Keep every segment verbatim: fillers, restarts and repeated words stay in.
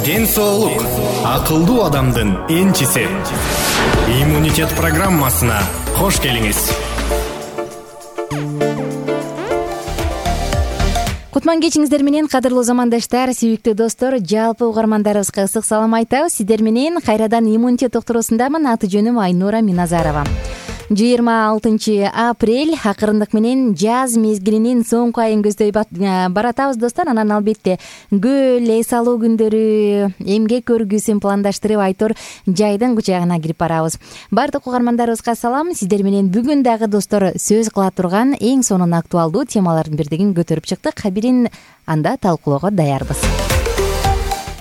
ден соолук акылдуу адамдын энчиси. Иммунитет программасына кош келиңиз. Кутман кечиңиздер менен кадырлуу замандаштар, сүйүктүү достор, жалпы угармандарыбызга ысык салам айтабыз. Сиздер менен кайрадан иммунитет доктурусундамын. Аты жөнүм Айнура Миназарова. жыйырма алтынчы апрель акырындык менен жаз мезгилинин соңку айын көздөй баратабыз достор. Анан албетте гүл, эс алуу күндөрү, эмгек көргүсүн пландаштырып айтор жайдын кучагына кирип барабыз. Бардык угармандарыбызга салам. Сиздер менен бүгүн дагы достор сөз кыла турган эң сонун актуалдуу темалардын бирдигин көтөрүп чыктык. Бирин анда талкуулоого даярбыз.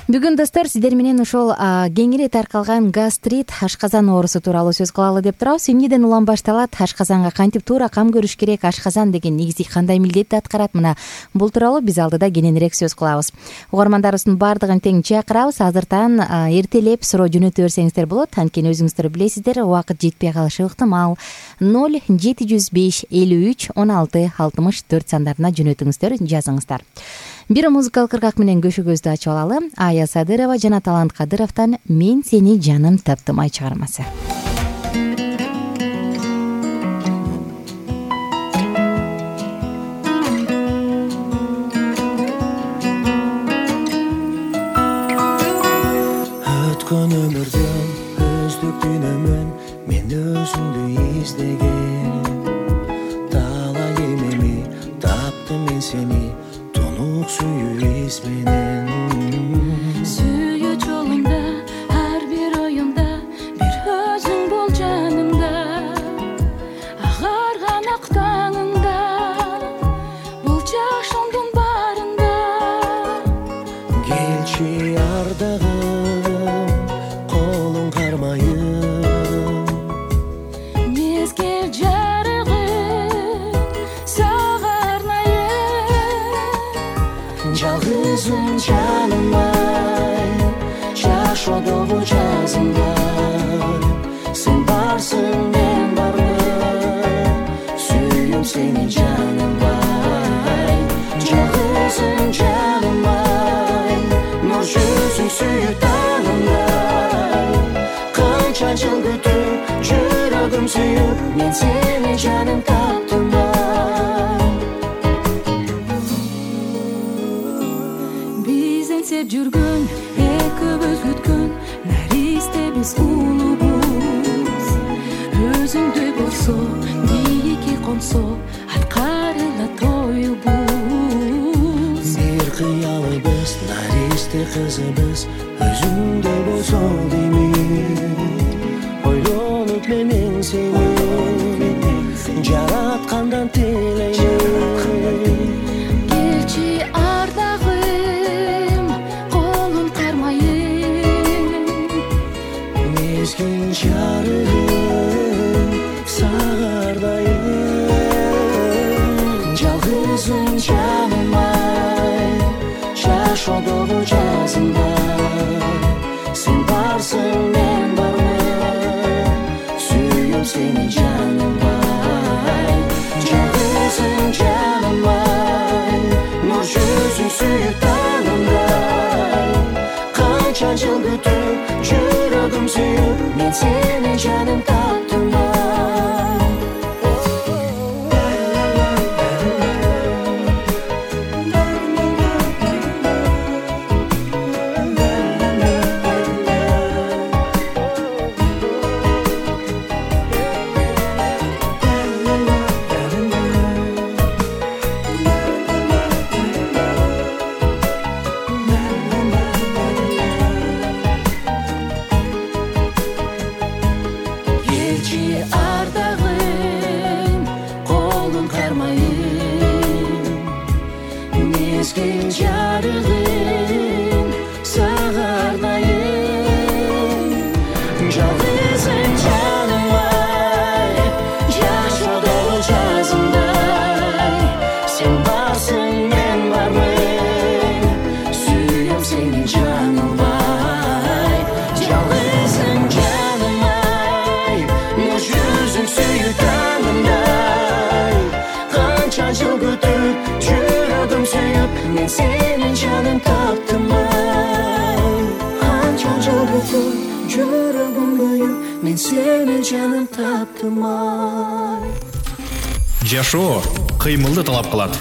Бүгүн достор сиздер менен ошол кеңири таркалган гастрит, ашказан оорусу тууралуу сөз кылалы деп турабыз. Эмнеден улам башталат? Ашказанга кантип туура кам көрүш керек? Ашказан деген негизи кандай милдетти аткарат? Мына бул тууралуу биз алдыда кененирээк сөз кылабыз. Угармандарыбыздын баардыгын тең чакырабыз. Азыртан эртелеп суроо жөнөтө берсеңиздер болот. Анткени өзүңүздөр билесиздер, убакыт жетпей калышы ыктымал. ноль жети жүз беш элүү үч он алты алтымыш төрт сандарына жөнөтүңүздөр, жазыңыздар. Бир музыкалык ыргак менен көшөгөздү ачып алалы. Ая Садырова жана Талант Кадыровдон «Мен сени жаным таптымай» чыгармасы. Өткөн өмүрдөн өздүктүнөмөн мен өзүңдү издеген. Талай эмеми таптым мен сени тонук сүйүү из менен. Сүйүү жолунда ар бир оюнда бир өзүң бол жанымда. Агарган ак таңыңда бул жашоомдун баарында. Келчи ардагым колуң кармайым. Мезгил жарыгым сага арнайым. Жалгызым жаным ай, жашоодогу жазымдар. Сен барсың, мен бармын, сүйүм сени жаным ай. Жалгызым жаным ай, нур жүзүң сүйүп танымдай. Канча жыл күтүп, жүрөгүм сүйүп, мен сени жаным таптым ай. Биз энсеп жүргөн, экөөбүз күткөн, наристе биз улуубуз. Өзүңдөй болсо, бийикке консо, аткарыла тоюбуз. Бир кыялыбыз, наристе кызыбыз, өзүңдөй болсо деймин. Ойлонуп менен сени жараткандан тилеймин. Келчи ардагым колун кармайым. Мезгил жарыгым сага ардайым. Жалгызым жаным ай, жашоодогу жазымдар. Сен барсың, мен бармын, сүйүм сени жаным ай. Жалгызым жаным ай, нур жүзүң сүйүп танымдай. Канча жыл күтүп, жүрөгүм сүйүп, мен сени жаным таптым ай. мен сени жаным таптым ай. Жашоо кыймылды талап кылат.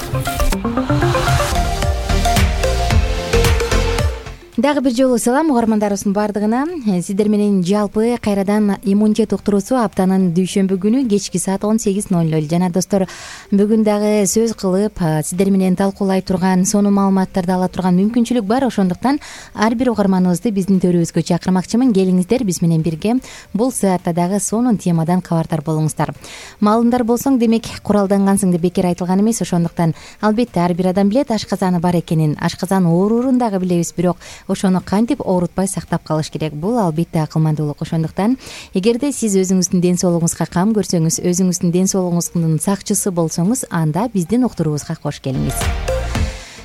Дагы бир жолу салам угармандарыбыздын баардыгына. Сиздер менен жалпы кайрадан иммунитет уктуруусу аптанын дүйшөмбү күнү кечки саат он сегиз ноль ноль. Жана достор, бүгүн дагы сөз кылып сиздер менен талкуулай турган, сонун маалыматтарды ала турган мүмкүнчүлүк бар. Ошондуктан ар бир угарманыбызды биздин төрүбүзгө чакырмакчымын. Келиңиздер, биз менен бирге бул саатта дагы сонун темадан кабардар болуңуздар. Маалымдар болсоң, демек куралдангансың деп бекер айтылган эмес. Ошондуктан албетте ар бир адам билет ашказаны бар экенин, ашказан ооруурун дагы билебиз, бирок ошону кантип оорутпай сактап калыш керек? Бул албетте акылмандуулук. Ошондуктан эгерде сиз өзүңүздүн ден соолугуңузга кам көрсөңүз, өзүңүздүн ден соолугуңуздун сакчысы болсоңуз, анда биздин уктуруубузга кош келиңиз.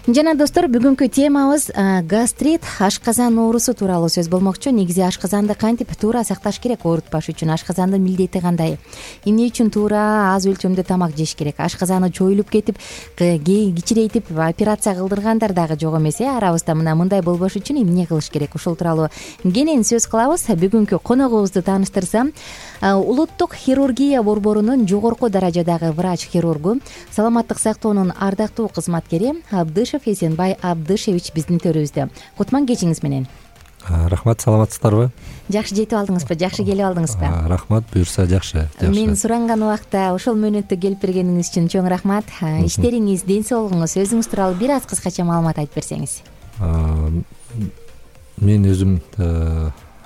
Жана достор, бүгүнкү темабыз гастрит, ашказан оорусу тууралуу сөз болмокчу. Негизи ашказанды кантип туура сакташ керек оорутпаш үчүн? Ашказандын милдети кандай? Эмне үчүн туура аз өлчөмдө тамак жеш керек? Ашказаны чоюлуп кетип, кичирейтип операция кылдыргандар дагы жок эмес. Э арабызда мына мындай болбош үчүн эмне кылыш керек? Ушул тууралуу кенен сөз кылабыз. Бүгүнкү коногубузду тааныштырсам, улуттук хирургия борборунун жогорку даражадагы врач-хирургу, саламаттык сактоонун ардактуу кызматкери Абдышев Эсенбай Абдышевич биздин төрүбүздө. Кутман кечиңиз менен. Рахмат, саламатсыздарбы? Жакшы жетип алдыңызбы? Жакшы келип алдыңызбы? Рахмат, буюрса жакшы. Мен суранган убакта ошол мөөнөттө келип бергениңиз үчүн чоң рахмат. Иштериңиз, ден соолугуңуз, өзүңүз тууралуу бир аз кыскача маалымат айтып берсеңиз. Мен өзүм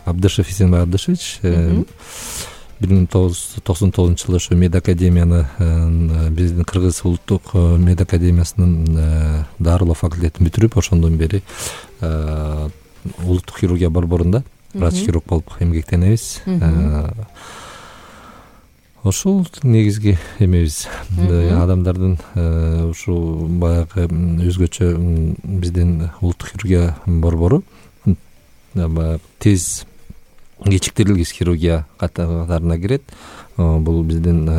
Абдышев Эсенбай Абдышевич, бир миң тогуз жүз токсон тогузунчу жылы ошо медакадемияны, биздин Кыргыз улуттук медакадемиясынын дарылоо факультетин бүтүрүп, ошондон бери улуттук хирургия борборунда врач-хирург болуп эмгектенебиз. Ошол негизги эмебиз. Адамдардын ушул баягы өзгөчө биздин улуттук хирургия борбору тез кечиктирилгис хирургия катарына кирет. Бул биздин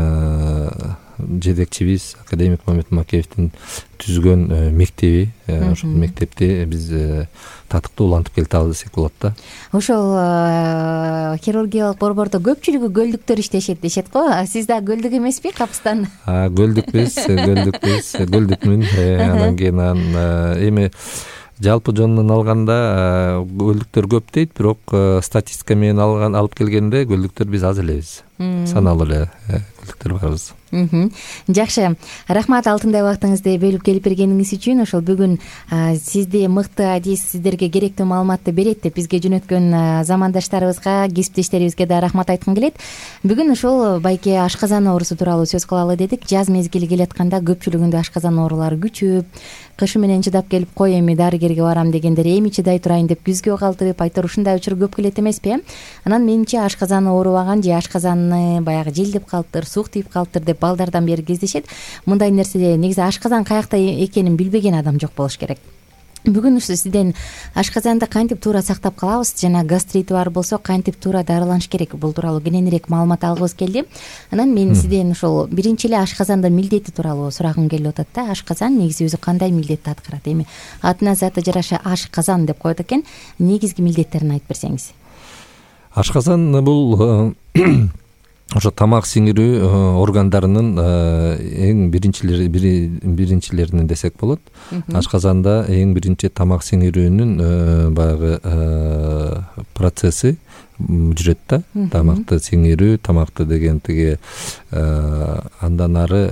жетекчибиз академик Мамед Макеевдин түзгөн мектеби. Ошол мектепте биз татыктуу улантып келе десек болот да. Ошол хирургиялык борбордо көпчүлүгү көлдүктөр иштешет дешет го. Сиз да көлдүк эмеспи, капыстан? Көлдүкпүз, көлдүкпүз, көлдүкмүн. Анан кийин эми жалпы жонунан алганда көлдүктөр көп дейт, бирок статистика менен алган алып келгенде көлдүктөр биз аз элебиз. Саналуу эле көлдүктөр барбыз. Жакшы, рахмат алтындай убактыңызды бөлүп келип бергениңиз үчүн. Ошол бүгүн сизди мыкты адис, сиздерге керектүү маалыматты берет деп бизге жөнөткөн замандаштарыбызга, кесиптештерибизге да рахмат айткым келет. Бүгүн ошол байке ашказан оорусу тууралуу сөз кылалы дедик. Жаз мезгили келатканда көпчүлүгүндө ашказан оорулары күчөп, кышы менен чыдап келип, кой эми дарыгерге барам дегендер эми чыдай турайын деп күзгө калтырып, айтор ушундай учур көп келет эмеспи? Анан менимче ашказаны оорубаган же ашказаны баягы желдеп калыптыр, суук тийип калыптыр деп балдардан бери кездешет. Мындай нерсе негизи ашказан каякта экенин билбеген адам жок болуш керек. Бүгүн ушу сизден ашказанды кантип туура сактап калабыз, жана гастрити бар болсо кантип туура дарыланыш керек, бул тууралуу кененирээк маалымат алгыбыз келди. Анан мен сизден ошол биринчи эле ашказандын милдети тууралуу сурагым келип атат да. Ашказан негизи өзү кандай милдетти аткарат? Эми атына заты жараша ашказан деп коет экен. Негизги милдеттерин айтып берсеңиз. Ашказан бул ошо тамак сиңирүү органдарынын эң биринчилери биринчилеринен десек болот. Ашказанда эң биринчи тамак сиңирүүнүн баягы процесси жүрөт да. Тамакты сиңирүү, тамакты деген тиги андан ары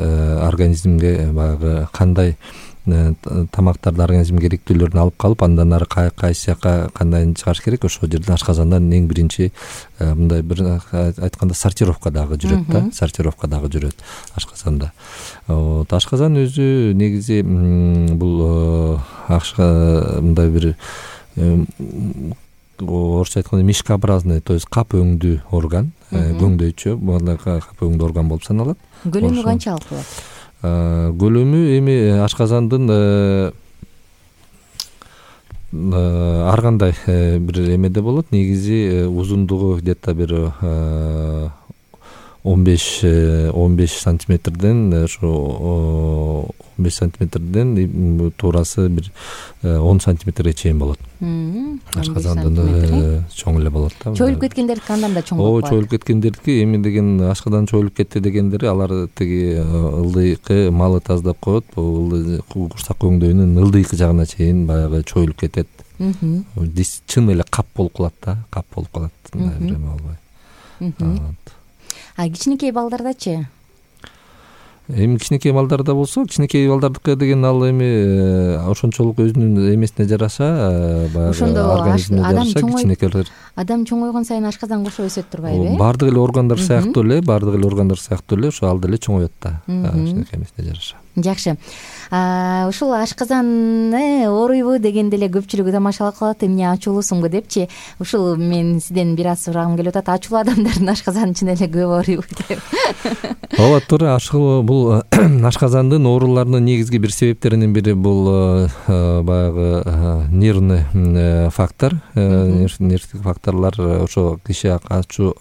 организмге баягы кандай тамактарды организм керектүүлөрүн алып калып, андан ары кайсы жака кандай чыгаш керек, ошол жерден ашказандан эң биринчи мындай бир айтканда сортировка дагы жүрөт да, сортировка дагы жүрөт ашказанда. Ашказан өзү негизи бул мындай бир орусча айтканда мишкообразный, то есть кап өңдүү орган, көңдөйчө, мындай кап өңдүү орган болуп саналат. Көлөмү канчалык болот? Көлөмү эми ашказандын ар кандай бир эмеде болот. Негизи узундугу где-то бир он беш он беш сантиметрден ошо он беш сантиметрден туурасы бир он сантиметрге чейин болот. Ашказандын чоң эле болот да. Чоюлуп кеткендердики андан да чоң болот. Ооба, чоюлуп кеткендердики эми деген ашкадан чоюлуп кетти дегендери алар тиги ылдыйкы малы таздап коет, бул курсак өңдөйүнүн ылдыйкы жагына чейин баягы чоюлуп кетет. Чын эле кап болуп калат да, кап болуп калат. Эме болбой. А кичинекей балдардачы? Эми кичинекей балдарда болсо, кичинекей балдардыкы деген ал эми ошончолук өзүнүн эмесине жараша, баягы организмине жараша кичинекейлер. Адам чоңойгон сайын ашказан кошо өсөт турбайбы? Баардык эле органдар сыяктуу эле, баардык эле органдар сыяктуу эле ошо ал деле чоңоет да, кичинекей эмесине жараша. Жакшы. Ушул ашказаны ооруйбу дегенде эле көпчүлүгү тамашалап калат, эмне ачуулуусуңбу депчи. Ушул мен сизден бир аз сурагым келип атат. Ачуулуу адамдардын ашказаны чын эле көп ооруйбу деп. Ооба, туура. Ушул бул ашказандын ооруларынын негизги бир себептеринин бири бул баягы нервный фактор, нервдик факторлор. Ошо киши ачуу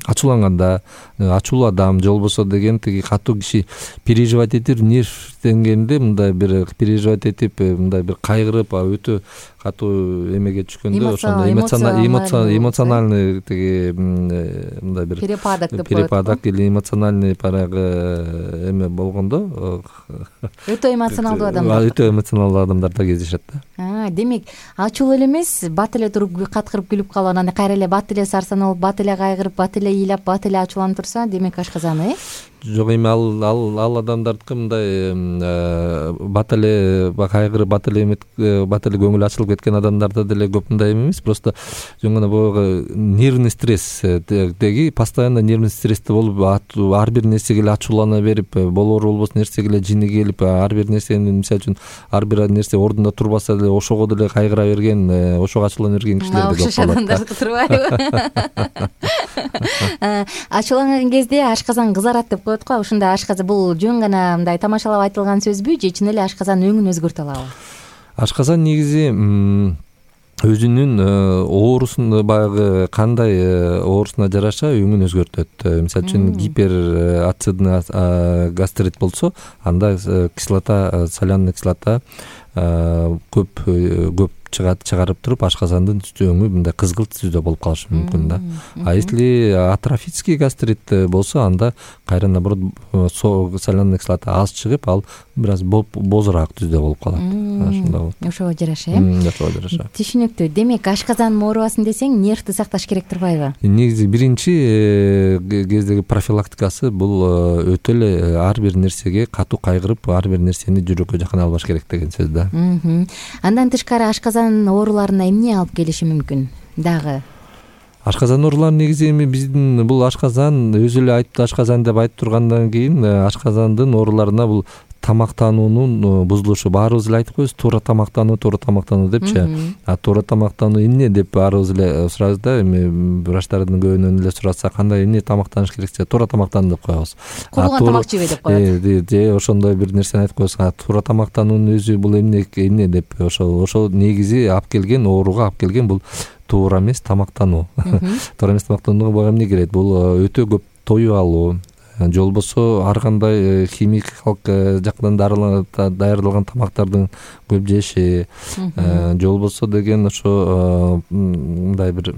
ачууланганда, ачуулуу адам же болбосо деген тиги катуу киши переживать этип, нерв деңгээлинде мындай бир переживать этип, мындай бир кайгырып, өтө катуу эмеге түшкөндө ошондо эмоциональный тиги мындай бир перепадок деп коет. Перепадок или эмоциональный парагы эме болгондо өтө эмоционалдуу адамдар. Өтө эмоционалдуу адамдар да кездешет да. Демек, ачуу эле эмес, бат эле туруп каткырып күлүп калып, анан кайра эле бат эле сарсаналып, бат эле кайгырып, бат эле ыйлап, бат эле ачууланып турса, демек ашказаны, э? Жок, эми ал ал ал адамдардыкы мындай бат эле кайгырып, бат эле бат эле көңүлү ачылып кеткен адамдарда деле көп мындай эмес. Просто жөн гана баягы нервный стресс деги постоянно нервный стрессте болуп, ар бир нерсеге эле ачуулана берип, болоор болбос нерсеге эле жини келип, ар бир нерсени мисалы үчүн ар бир нерсе ордунда турбаса деле ошого деле кайгыра берген, ошого ачуулана берген кишилер да көп болот. Адамдарды турбайбы? Ачууланган кезде ашказан кызарат деп коет го. Ушунда ашказан бул жөн гана мындай тамашалап айтылган сөзбү же чын эле ашказан өңүн өзгөртө алабы? Ашказан негизи өзүнүн оорусун баягы кандай оорусуна жараша өңүн өзгөртөт. Мисалы үчүн гиперацидный гастрит болсо, анда кислота, соляный кислота көп көп чыгат, чыгарып туруп ашказандын өңү мындай кызгылт түздө болуп калышы мүмкүн да. А если атрофический гастрит болсо, анда кайра наоборот соляный кислота аз чыгып, ал бир аз бозураак түздө болуп калат. Ошондой болот. Ошого жараша, э? Ошого жараша. Түшүнүктүү. Демек, ашказан оорубасын десең, нервди сакташ керек турбайбы? Негизи биринчи кездеги профилактикасы бул өтө эле ар бир нерсеге катуу кайгырып, ар бир нерсени жүрөккө жакын албаш керек деген сөз да. Андан тышкары ашказан ооруларына эмне алып келиши мүмкүн дагы? Ашказан оорулары негизи эми биздин бул ашказан өзү эле айтты, ашказан деп айтып тургандан кийин ашказандын ооруларына бул тамактануунун бузулушу. Баарыбыз эле айтып коебуз, туура тамактануу, туура тамактануу депчи. А туура тамактануу эмне деп баарыбыз эле сурайбыз да. Эми врачтардын көбүнөн эле сураса, кандай эмне тамактаныш керексе, туура тамактан деп коебуз. Кууган тамак жебе деп коет. Же ошондой бир нерсени айтып коебуз. А туура тамактануунун өзү бул эмне эмне деп ошол ошол негизи алып келген ооруга алып келген бул туура эмес тамактануу. Туура эмес тамактанууга эмне керет? Бул өтө көп тоюп алуу, же болбосо ар кандай химикалык жактан даярдалган тамактардын көп жеши, же болбосо деген ошо мындай бир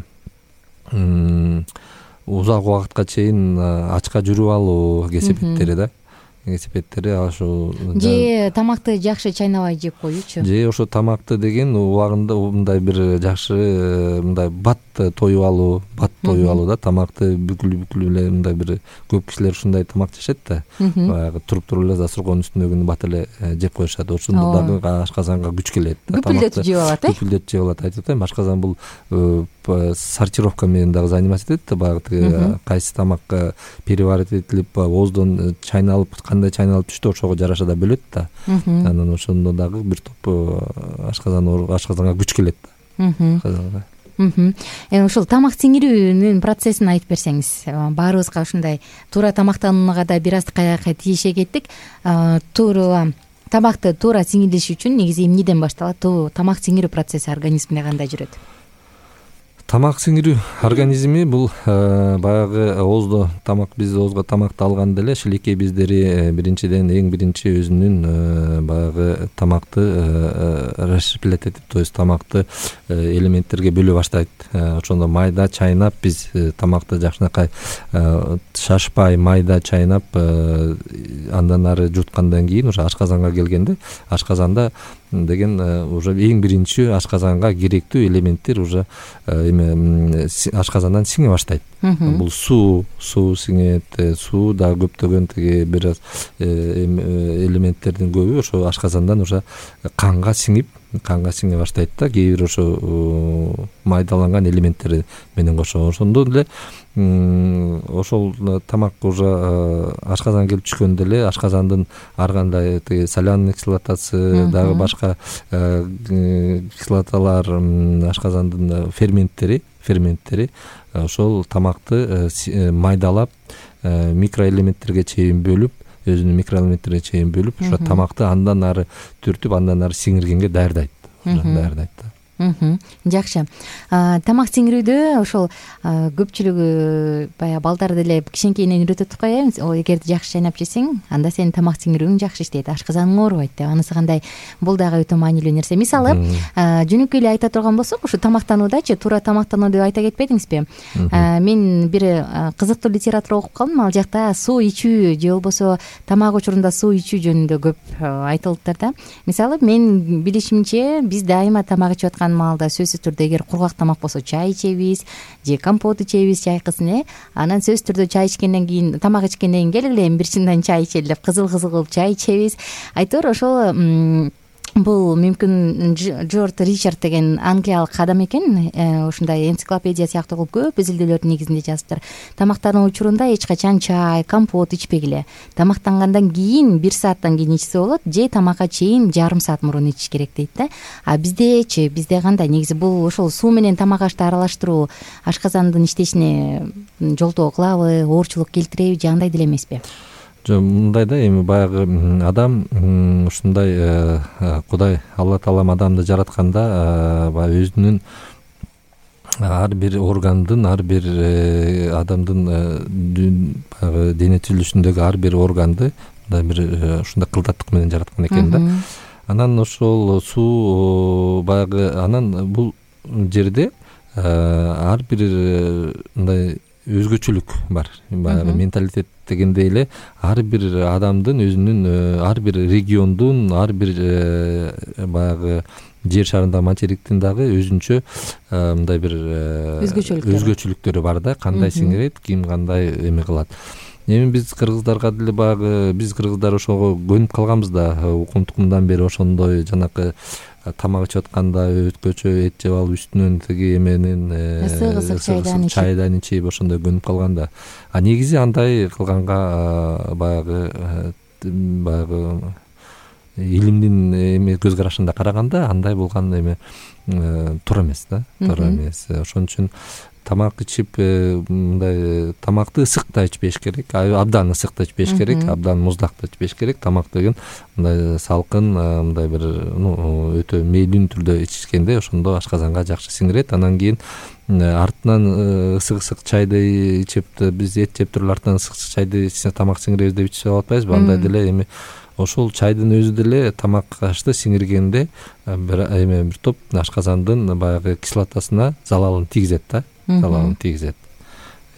узак убакытка чейин ачка жүрүп алуу кесепеттери да. Кесепеттери ошо же тамакты жакшы чайнабай жеп коюучу. Же ошо тамакты деген убагында мындай бир жакшы мындай бат тоюп алуу, бат тоюп алуу да, тамакты бүкүлүп-бүкүлүп эле мындай бир көп кишилер ушундай тамак жешет да. Баягы туруп туруп эле засургонун үстүндөгүнү бат эле жеп коюшат. Ошондо дагы ашказанга күч келет. Бүпүлдөтүп жеп алат, э? Бүпүлдөтүп жеп алат. Айтып атайм, ашказан бул сортировка менен дагы заниматься этет да, баягы кайсы тамак переварить этилип, ооздон чайналып, кандай чайналып түштү, ошого жараша да бөлөт да. Анан ошондо дагы бир топ ашказан ашказанга күч келет да. Эми ушул тамак сиңирүүнүн процессин айтып берсеңиз. Баарыбызга ушундай туура тамактанууга да бир аз каяка тийише кеттик. Туура тамакты туура сиңирилиши үчүн негизи эмнеден башталат? Тамак сиңирүү процесси организмде кандай жүрөт? тамак сиңирүү организми бул баягы ооздо тамак биз оозго тамакты алганда эле шилекей бездери биринчиден эң биринчи өзүнүн баягы тамакты расщеплять этип, то есть тамакты элементтерге бөлө баштайт. Ошондо майда чайнап биз тамакты жакшынакай шашпай майда чайнап андан ары жуткандан кийин уже ашказанга келгенде ашказанда деген уже эң биринчи ашказанга керектүү элементтер уже эме ашказандан сиңе баштайт. Бул суу, суу сиңет, суу да көптөгөн тиги бир аз элементтердин көбү ошо ашказандан уже канга сиңип, канга сиңе баштайт да, кээ бир ошо майдаланган элементтер менен кошо. Ошондо эле ошол тамак уже ашказанга келип түшкөндө эле ашказандын ар кандай тиги соляный кислотасы, дагы башка кислоталар, ашказандын ферменттери, ферменттери ошол тамакты майдалап микроэлементтерге чейин бөлүп, өзүнүн микроэлементтерге чейин бөлүп, ошо тамакты андан ары түртүп, андан ары сиңиргенге даярдайт. Даярдайт да. Жакшы. Тамак сиңирүүдө ошол көпчүлүгү баягы балдар деле кичинекейинен үйрөтүп коебуз. Эгерде жакшы чайнап жесең, анда сенин тамак сиңирүүң жакшы иштейт, ашказаның оорубайт деп. Анысы кандай? Бул дагы өтө маанилүү нерсе. Мисалы, жөнөкөй эле айта турган болсок, ушу тамактануудачы, туура тамактануу деп айта кетпедиңизби? Мен бир кызыктуу литература окуп калдым. Ал жакта суу ичүү же болбосо тамак учурунда суу ичүү жөнүндө көп айтылыптыр да. Мисалы, мен билишимче биз дайыма тамак ичип аткан маалда сөзсүз түрдө эгер кургак тамак болсо чай ичебиз же компот ичебиз, чайкысын э анан сөзсүз түрдө чай ичкенден кийин, тамак ичкенден кийин келгиле эми бир чындан чай ичели деп кызыл кызыл кылып чай ичебиз. Айтор ошол бул мүмкүн Джордж Ричард деген англиялык адам экен, ушундай энциклопедия сыяктуу кылып көп изилдөөлөрдүн негизинде жазыптыр. Тамактануу учурунда эч качан чай, компот ичпегиле. Тамактангандан кийин бир сааттан кийин ичсе болот, же тамакка чейин жарым саат мурун ичиш керек дейт да. А биздечи, бизде кандай? Негизи бул ошол суу менен тамак ашты аралаштыруу ашказандын иштешине жолтоо кылабы, оорчулук келтиреби же андай деле эмеспи? Жок, мындай да, эми баягы адам ушундай Кудай Алла Таалам адамды жаратканда баягы өзүнүн ар бир органдын, ар бир адамдын баягы дене түзүлүшүндөгү ар бир органды мындай бир ушундай кылдаттык менен жараткан экен да. Анан ошол суу баягы анан бул жерде ар бир мындай өзгөчөлүк бар. Баягы менталитет дегендей эле ар бир адамдын өзүнүн, ар бир региондун, ар бир баягы жер шарындагы материктин дагы өзүнчө мындай бир өзгөчөлүктөрү бар да. Кандай сиңирет, ким кандай эме кылат. Эми биз кыргыздарга деле баягы биз кыргыздар ошого көнүп калганбыз да. Укум-тукумдан бери ошондой жанакы тамак ичип атканда өткөчө эт жеп алып үстүнөн тиги эменин ысык чайдан ичип ошондой көнүп калган да. А негизи андай кылганга баягы баягы илимдин эме көз карашында караганда андай болгон эме туура эмес да, туура эмес. Ошон үчүн тамак ичип мындай тамакты ысык да ичпеш керек, абдан ысык да ичпеш керек, абдан муздак да ичпеш керек. Тамак деген мындай салкын, мындай бир өтө мейлиндүү түрдө ичишкенде ошондо ашказанга жакшы сиңирет. Анан кийин артынан ысык-ысык чайды ичип, биз эт жеп туруп артынан ысык чайды ичсе тамак сиңиребиз деп ичип атпайбызбы? Андай деле эми ошол чайдын өзү деле тамак ашты сиңиргенде бир эме бир топ ашказандын баягы кислотасына залалын тийгизет да. Залалын тийгизет.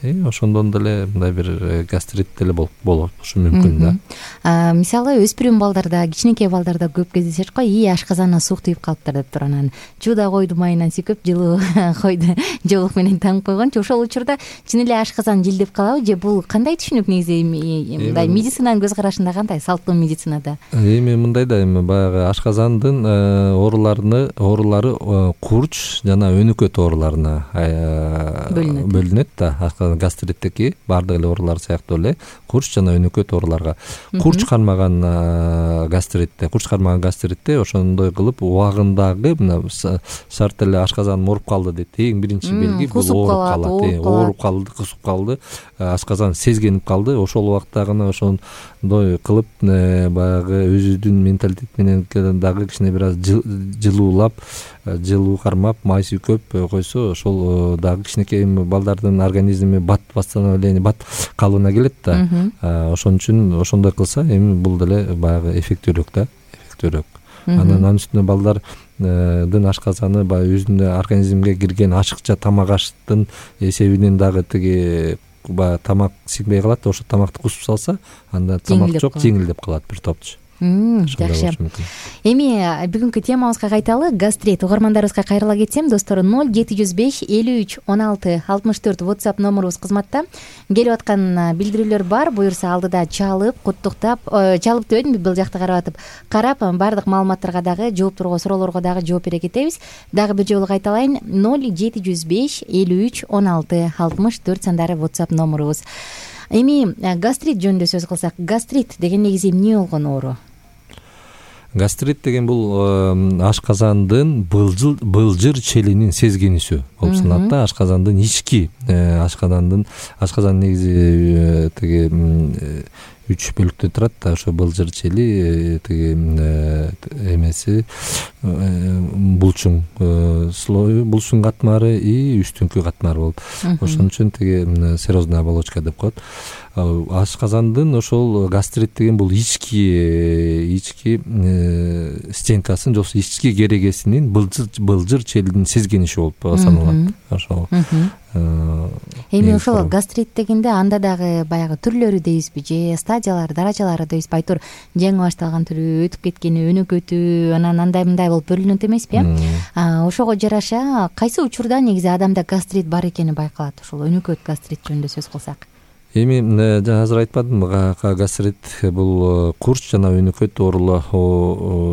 Э ошондон деле мындай бир гастрит деле болушу мүмкүн да. Мисалы өспүрүм балдарда, кичинекей балдарда көп кездешет го, ии ашказанына суук тийип калыптыр деп туруп анан жууда койду майынан сүйкөп жылуу койду жоолук менен таңып койгончу. Ошол учурда чын эле ашказан жылдеп калабы же бул кандай түшүнүк негизи? Мындай медицинанын көз карашында кандай? Салттуу медицинада? Эми мындай да, эми баягы ашказандын ооруларыны оорулары курч жана өнөкөт ооруларына бөлүнөт да. Гастриттеки баардык эле оорулар сыяктуу эле курч жана өнөкөт ооруларга. Курч кармаган гастритте, курч кармаган гастритте ошондой кылып убагындагы мына шарт эле ашказаным ооруп калды дейт. Эң биринчи белги бул ооруп калат. Ооруп калды, кусуп калды, ашказан сезгенип калды. Ошол убакта гана ошондой кылып баягы өзүнүн менталитет менен дагы кичине бир аз жылуулап жылуу кармап майсы көп койсо ошол дагы кичинекей балдардын организми бат восстановление бат калыбына келет да. Ошон үчүн ошондой кылса эми бул деле баягы эффектүүлүк да, эффектүүлүк. Анан анын үстүнө балдардын ашказаны баягы өзүнүн организмге кирген ашыкча тамак аштын эсебинен дагы тиги баягы тамак сиңбей калат. Ошо тамакты кусуп салса, анда тамак жок, жеңилдеп калат бир топчу. Жакшы. Эми бүгүнкү темабызга кайталы. Гастрит. Угармандарыбызга кайрыла кетсем, достор, ноль жети жүз беш элүү үч он алты алтымыш төрт WhatsApp номерубуз кызматта. Келип аткан билдирүүлөр бар. Буюрса алдыда чалып, куттуктап, чалып дебедимби, бул жакта карап атып, карап баардык маалыматтарга дагы, жоопторго, суроолорго дагы жооп бере кетебиз. Дагы бир жолу кайталайын. ноль жети жүз беш элүү үч он алты алтымыш төрт сандары WhatsApp номерубуз. Эми гастрит жөнүндө сөз кылсак, гастрит деген негизи эмне болгон оору? Гастрит деген бул ашказандын былжыр былжыр челинин сезгенисү болуп саналат да. Ашказандын ички ашказандын ашказан негизи тиги үч бөлүктөн турат да. Ошо былжыр чели, тиги эмеси булчуң слою, булчуң катмары и үстүңкү катмары болот. Ошон үчүн тиги серозная оболочка деп коет. Ашказандын ошол гастрит деген бул ички ички стенкасын, жоксу ички керегесинин былжыр былжыр челинин сезгениши болуп саналат. Ошол. Эми ошол гастрит дегенде анда дагы баягы түрлөрү дейбизби, же стадиялары, даражалары дейбизби? Айтор жаңы башталган түрү, өтүп кеткени, өнөкөтү, анан андай мындай болуп бөлүнөт эмеспи? Ошого жараша кайсы учурда негизи адамда гастрит бар экени байкалат? Ошол өнөкөт гастрит жөнүндө сөз кылсак. Эми азыр айтпадымбы, гастрит бул курч жана өнөкөт оорулар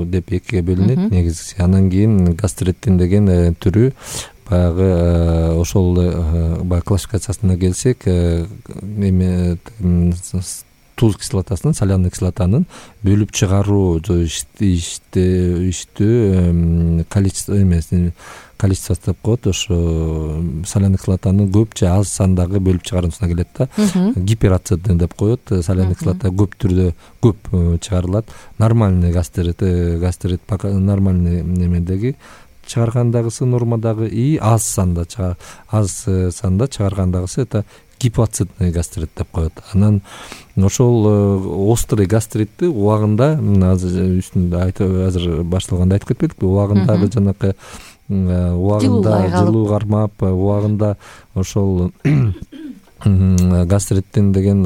деп экиге бөлүнөт негизи. Анан кийин гастриттин деген түрү баягы ошол баягы классификациясына келсек, эми туз кислотасынын, соляный кислотанын бөлүп чыгаруу иштөө количество эмесин количествосы деп коет. Ошо соляный кислотаны көп же аз сандагы бөлүп чыгаруусуна келет да. Гиперацидный деп коет. Соляный кислота көп түрдө көп чыгарылат. Нормальный гастрит, гастрит нормальный немедеги чыгаргандагысы нормадагы и аз санда аз санда чыгаргандагысы это гипоцидный гастрит деп коет. Анан ошол острый гастритти убагында азыр үстүндө айтып азыр башталганда айтып кетпедикпи? Убагындагы жанакы убагында жылуу кармап, убагында ошол гастриттин деген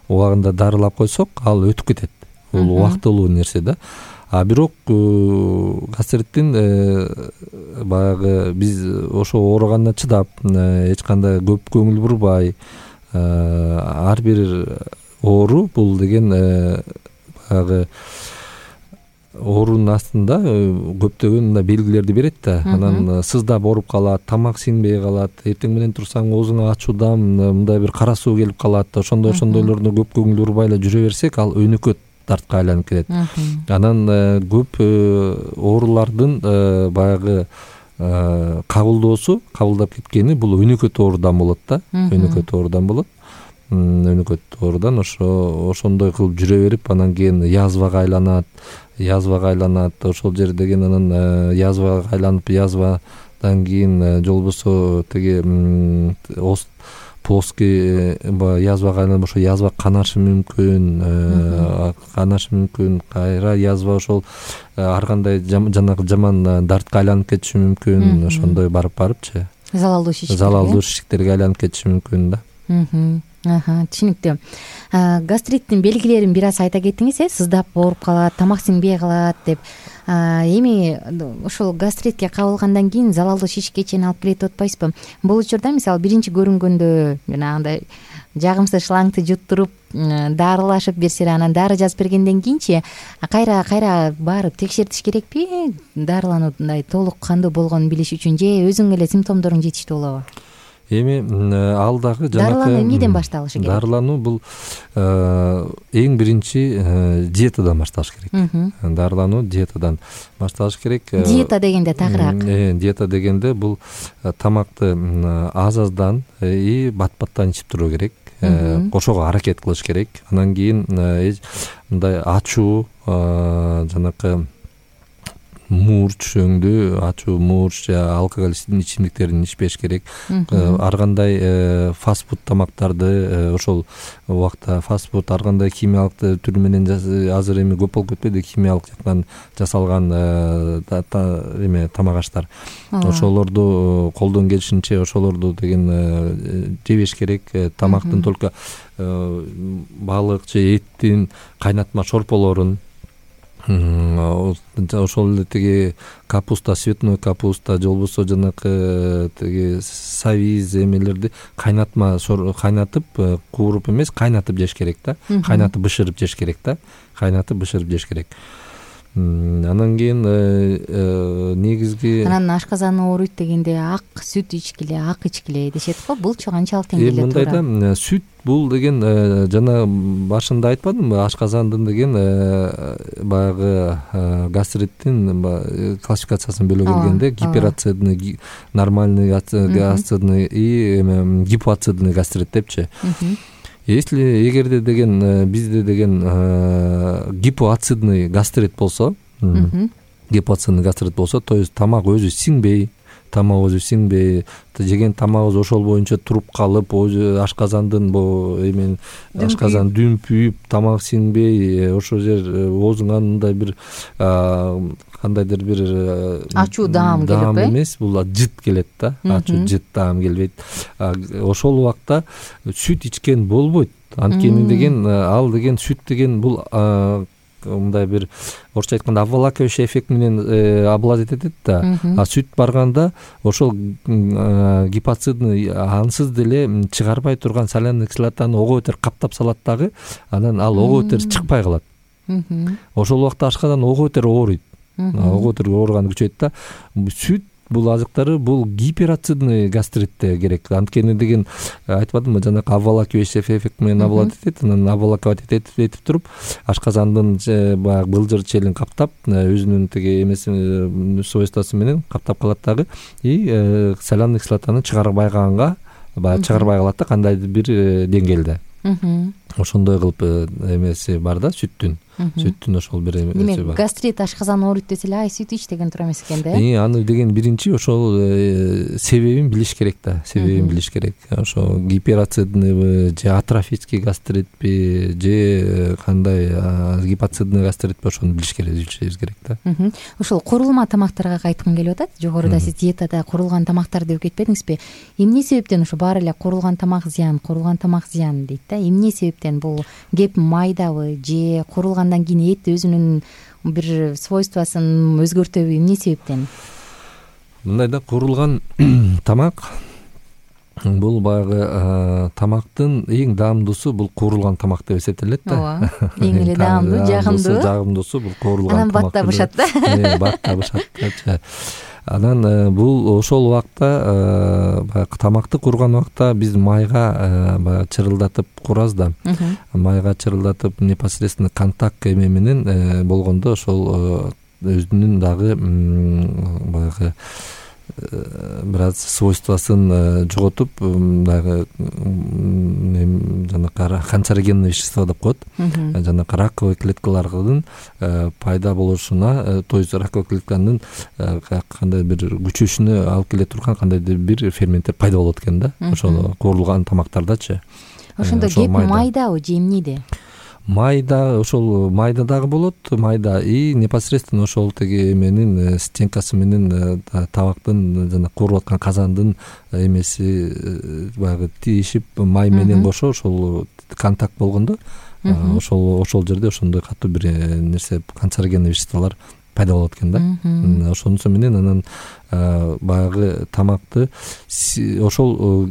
убагында дарылап койсок, ал өтүп кетет. Бул убактылуу нерсе да. А бирок гастриттин баягы биз ошо ооруганына чыдап, эч кандай көп көңүл бурбай, ар бир оору бул деген баягы оорунун астында көптөгөн мындай белгилерди берет да. Анан сыздап ооруп калат, тамак сиңбей калат, эртең менен турсаң оозуңа ачуудан мындай бир кара суу келип калат. Ошондой ошондойлордо көп көңүл бурбай эле жүрө берсек, ал өнөкөт дартка айланып кетет. Анан көп оорулардын баягы кабылдоосу, кабылдап кеткени бул өнөкөт оорудан болот да. Өнөкөт оорудан болот. Өнөкөт оорудан ошо ошондой кылып жүрө берип, анан кийин язвага айланат, язвага айланат. Ошол жер деген анан язвага айланып, язвадан кийин жолбосо тиги плоский язвага айланып, ошо язва канашы мүмкүн, канашы мүмкүн, кайра язва ошол ар кандай жанагы жаман дартка айланып кетиши мүмкүн. Ошондой барып барыпчы залалдуу шишик, залалдуу шишиктерге айланып кетиши мүмкүн да. Аха, түшүнүктүү. Гастриттин белгилерин бир аз айта кеттиңиз, э, сыздап ооруп калат, тамак сиңбей калат деп. Эми ошол гастритке кабылгандан кийин залалдуу шишикке чейин алып келет деп атпайсызбы? Бул учурда мисалы биринчи көрүнгөндө жанагындай жагымсыз шлангты жуттуруп, дарылашып берсе, анан дары жазып бергенден кийинчи кайра кайра барып текшертиш керекпи? Дарылануудай толук кандуу болгонун билиш үчүн, же өзүң эле симптомдоруң жетиштүү болобу? Эми ал дагы жанакы дарылануу эмнеден башталышы керек? Дарылануу бул эң биринчи диетадан башталыш керек. Дарылануу диетадан башталыш керек. Диета дегенде тагыраак. Диета дегенде бул тамакты аз-аздан и бат-баттан ичип туруу керек. Ошого аракет кылыш керек. Анан кийин мындай ачуу, жанакы мурч өңдүү ачуу мурч же алкоголдүү ичимдиктерин ичпеш керек. Ар кандай фастфуд тамактарды ошол убакта фастфуд ар кандай химиялык түрү менен азыр эми көп болуп кетпеди химиялык жактан жасалган эме тамак аштар. Ошолорду колдон келишинче ошолорду деген жебеш керек. Тамактын только балык же эттин кайнатма шорполорун ошол эле тиги капуста, цветной капуста же болбосо жанакы тиги савиз эмелерди кайнатма кайнатып, кууруп эмес, кайнатып жеш керек да. Кайнатып бышырып жеш керек да. Кайнатып бышырып жеш керек. Анан кийин негизги анан ашказан ооруйт дегенде ак сүт ичкиле, ак ичкиле дешет го. Булчу канчалык деңгээлде туура? Мындай да, сүт бул деген жана башында айтпадымбы, ашказандын деген баягы гастриттин классификациясын бөлө келгенде гиперацидный, нормальный ацидный и гипоацидный гастрит депчи. Если эгерде деген бизде деген гипоацидный гастрит болсо, гипоацидный гастрит болсо, то есть тамак өзү сиңбей, тамак өзү сиңбей, жеген тамагыбыз ошол боюнча туруп калып, ашказандын бу эмен ашказан дүмпүйүп, тамак сиңбей, ошол жер оозуңан мындай бир кандайдыр бир ачуу даам келип, даам эмес, бул жыт келет да, ачуу жыт даам келбейт. Ошол убакта сүт ичкен болбойт. Анткени деген ал деген сүт деген бул мындай бир орусча айтканда обволакивающий эффект менен обладать этет да. А сүт барганда ошол гипоцидный ансыз деле чыгарбай турган соляный кислотаны ого бетер каптап салат дагы, анан ал ого бетер чыкпай калат. Ошол убакта ашказан ого бетер ооруйт. Ого бетер ооруганы күчөйт да. Сүт бул азыктары бул гиперацидный гастритте керек. Анткени деген айтпадымбы, жанагы обволакивающий эффект менен обладать этет, анан обволакивать этип туруп ашказандын баягы былжыр челин каптап, өзүнүн тиги эмеси свойствосу менен каптап калат дагы. И соляный кислотаны чыгарбай калганга, баягы чыгарбай калат да кандайдыр бир деңгээлде. Ошондой кылып эмеси бар да сүттүн. Сүттүн ошол бир эмеси бар. Демек, гастрит ашказан ооруйт десе эле, ай сүт ич деген туура эмес экен да. И аны деген биринчи ошол себебин билиш керек да, себебин билиш керек. Ошо гиперацидныйбы же атрофический гастритпи же кандай гипоцидный гастритпи, ошону билиш керек, билишибиз керек да. Ошол курулма тамактарга кайткым келип атат. Жогоруда сиз диетада курулган тамактар деп кетпедиңизби? Эмне себептен ошо баары эле курулган тамак зыян, курулган тамак зыян дейт да? Эмне себептен? Бул кеп майдабы же курулгандан кийин эт өзүнүн бир свойствосын өзгөртөбү, эмне себептен? Мындай да, курулган тамак бул баягы тамактын эң даамдуусу бул куурулган тамак деп эсептелет да. Ооба, эң эле даамдуу, жагымдуу. Жагымдуусу бул куурулган тамак. Анан бат табышат да. Бат табышат. Анан бул ошол убакта баягы тамакты курган убакта биз майга баягы чырылдатып курабыз да. Майга чырылдатып непосредственно контакт эме менен болгондо ошол өзүнүн дагы баягы бир аз свойствосын жоготуп, дагы жанакы канцерогенный вещество деп коет. Жанакы раковый клеткалардын пайда болушуна, то есть раковый клетканын кандай бир күчөшүнө алып келе турган кандайдыр бир ферменттер пайда болот экен да. Ошол куурулган тамактардачы. Ошондо кеп майдабы же эмнеде? Майда, ошол майда дагы болот, майда и непосредственно ошол тиги эменин стенкасы менен табактын жана кууруп аткан казандын эмеси баягы тиешип май менен кошо ошол контакт болгондо ошол ошол жерде ошондой катуу бир нерсе, канцерогенный веществолор пайда болот экен да. Ошонусу менен анан баягы тамакты ошол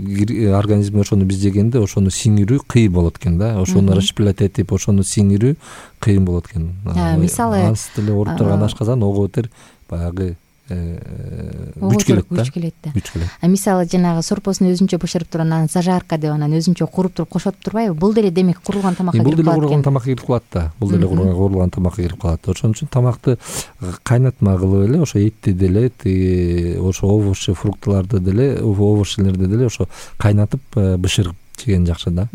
организмге ошону биз жегенде ошону сиңирүү кыйын болот экен да. Ошону расщеплять этип ошону сиңирүү кыйын болот экен. Мисалы, ансыз деле ооруп турган ашказан ого бетер баягы күч келет да. Күч келет. А мисалы жанагы сорпосун өзүнчө бышырып туруп анан зажарка деп анан өзүнчө куруп туруп кошотуп турбайбы? Бул деле демек курулган тамакка кирип калат экен. Бул деле курулган тамакка кирип калат да. Бул деле курулган тамакка кирип калат. Ошон үчүн тамакты кайнатма кылып эле ошо этти деле, ошо овощи, фруктыларды деле, овощилерди деле ошо кайнатып бышырып жеген жакшы да.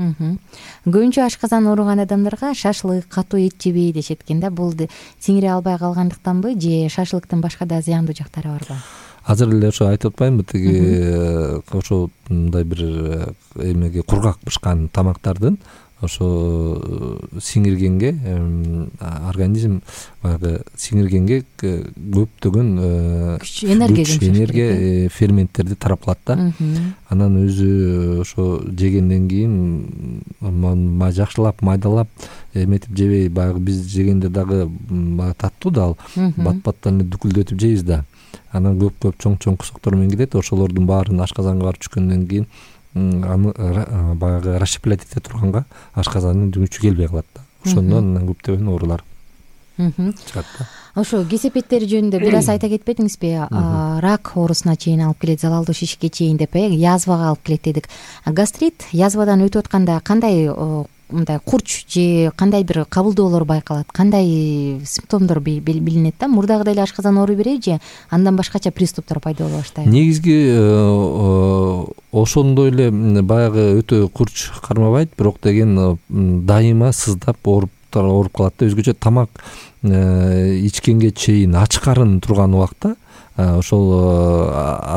Көбүнчө ашказан ооруган адамдарга шашлык, катуу эт жебей дешет экен да. Бул сиңире албай калгандыктанбы же шашлыктын башка да зыяндуу жактары барбы? Азыр эле ошо айтып атпаймынбы, тиги ошо мындай бир эмеге кургак бышкан тамактардын ошо сиңиргенге организм баягы сиңиргенге көптөгөн күч энергия энергия ферменттерди тарап калат да. Анан өзү ошо жегенден кийин жакшылап майдалап эметип жебей, баягы биз жегенде дагы таттуу да, ал бат баттан дүкүлдөтүп жейбиз да. Анан көп көп чоң чоң кусоктор менен кетет. Ошолордун баарын ашказанга барып түшкөндөн кийин аны баягы расщеплять эте турганга ашказандын күчү келбей калат да. Ошондон анан көптөгөн оорулар чыгат да. Ошо кесепеттери жөнүндө бир аз айта кетпедиңизби? Рак оорусуна чейин алып келет, залалдуу шишикке чейин деп, язвага алып келет дедик. Гастрит язвадан өтүп атканда кандай мындай курч же кандай бир кабылдоолор байкалат, кандай симптомдор билинет да? Мурдагыдай эле ашказан ооруй береби же андан башкача приступтар пайда боло баштайбы? Негизги ошондой эле баягы өтө курч кармабайт, бирок деген дайыма сыздап ооруп ооруп калат да. Өзгөчө тамак ичкенге чейин ач карын турган убакта ошол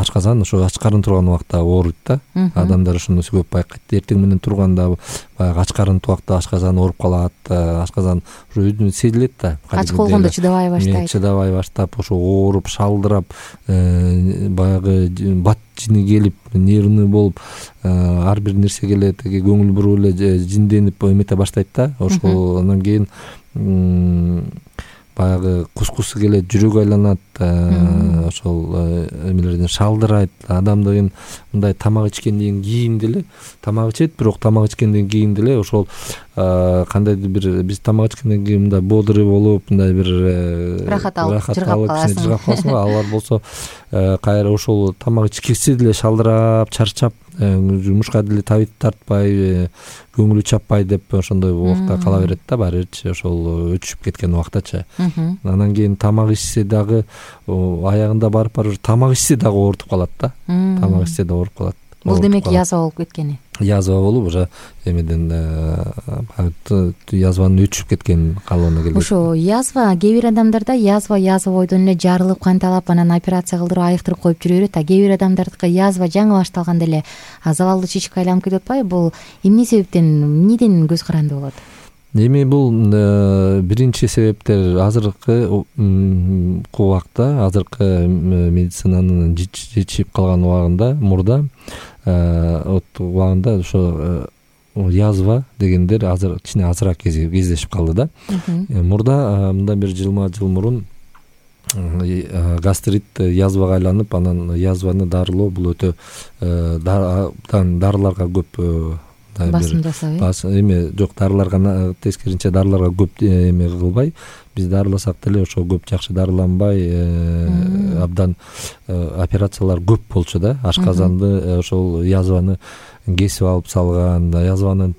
ашказан ошо ач карын турган убакта ооруйт да. Адамдар ошону көп байкайт. Эртең менен турганда баягы ач карын убакта ашказан ооруп калат. Ашказан ошо өзүнө сезилет да. Ач болгондо чыдабай баштайт. Чыдабай баштап ошо ооруп, шалдырап, баягы бат жини келип, нервный болуп, ар бир нерсеге эле көңүл буруп эле жинденип эмете баштайт да. Ошол андан кийин баягы кускусу келет, жүрөгү айланат, ошол эмелерден шалдырайт. Адамдын мындай тамак ичкенден кийин деле тамак ичет, бирок тамак ичкенден кийин деле ошол кандайдыр бир биз тамак ичкенден кийин мындай бодрый болуп, мындай бир рахат алып жыргап каласың. Жыргап каласың. Алар болсо кайра ошол тамак ичкиси деле шалдырап, чарчап, жумушка деле табит тартпай, көңүлү чаппай деп ошондой убакта кала берет да, баары бирчи ошол өчүшүп кеткен убактачы. Анан кийин тамак ичсе дагы аягында барып барып тамак ичсе дагы оорутуп калат да. Тамак ичсе да ооруп калат. Бул демек язва болуп кеткени. Язва болуп уже эмеден язванын өчүп кеткен калыбына келет. Ошо язва кээ бир адамдарда язва язва бойдон эле жарылып канталап анан операция кылдырып айыктырып коюп жүрө берет. А кээ бир адамдардыкы язва жаңы башталганда эле залалдуу шишикке айланып кетип атпайбы? Бул эмне себептен, эмнеден көз каранды болот? Эми бул биринчи себептер азыркы убакта, азыркы медицинанын жетишип калган убагында, мурда убагында ошо язва дегендер азыр кичине азыраак кездешип калды да. Мурда мындан бир жыйырма жыл мурун гастрит язвага айланып, анан язваны дарылоо бул өтө дарыларга көп басым жасабы. Эми жок, дарыларга тескерисинче дарыларга көп эме кылбай, биз дарыласак деле ошо көп жакшы дарыланбай, абдан операциялар көп болчу да. Ашказанды ошол язваны кесип алып салган, язванын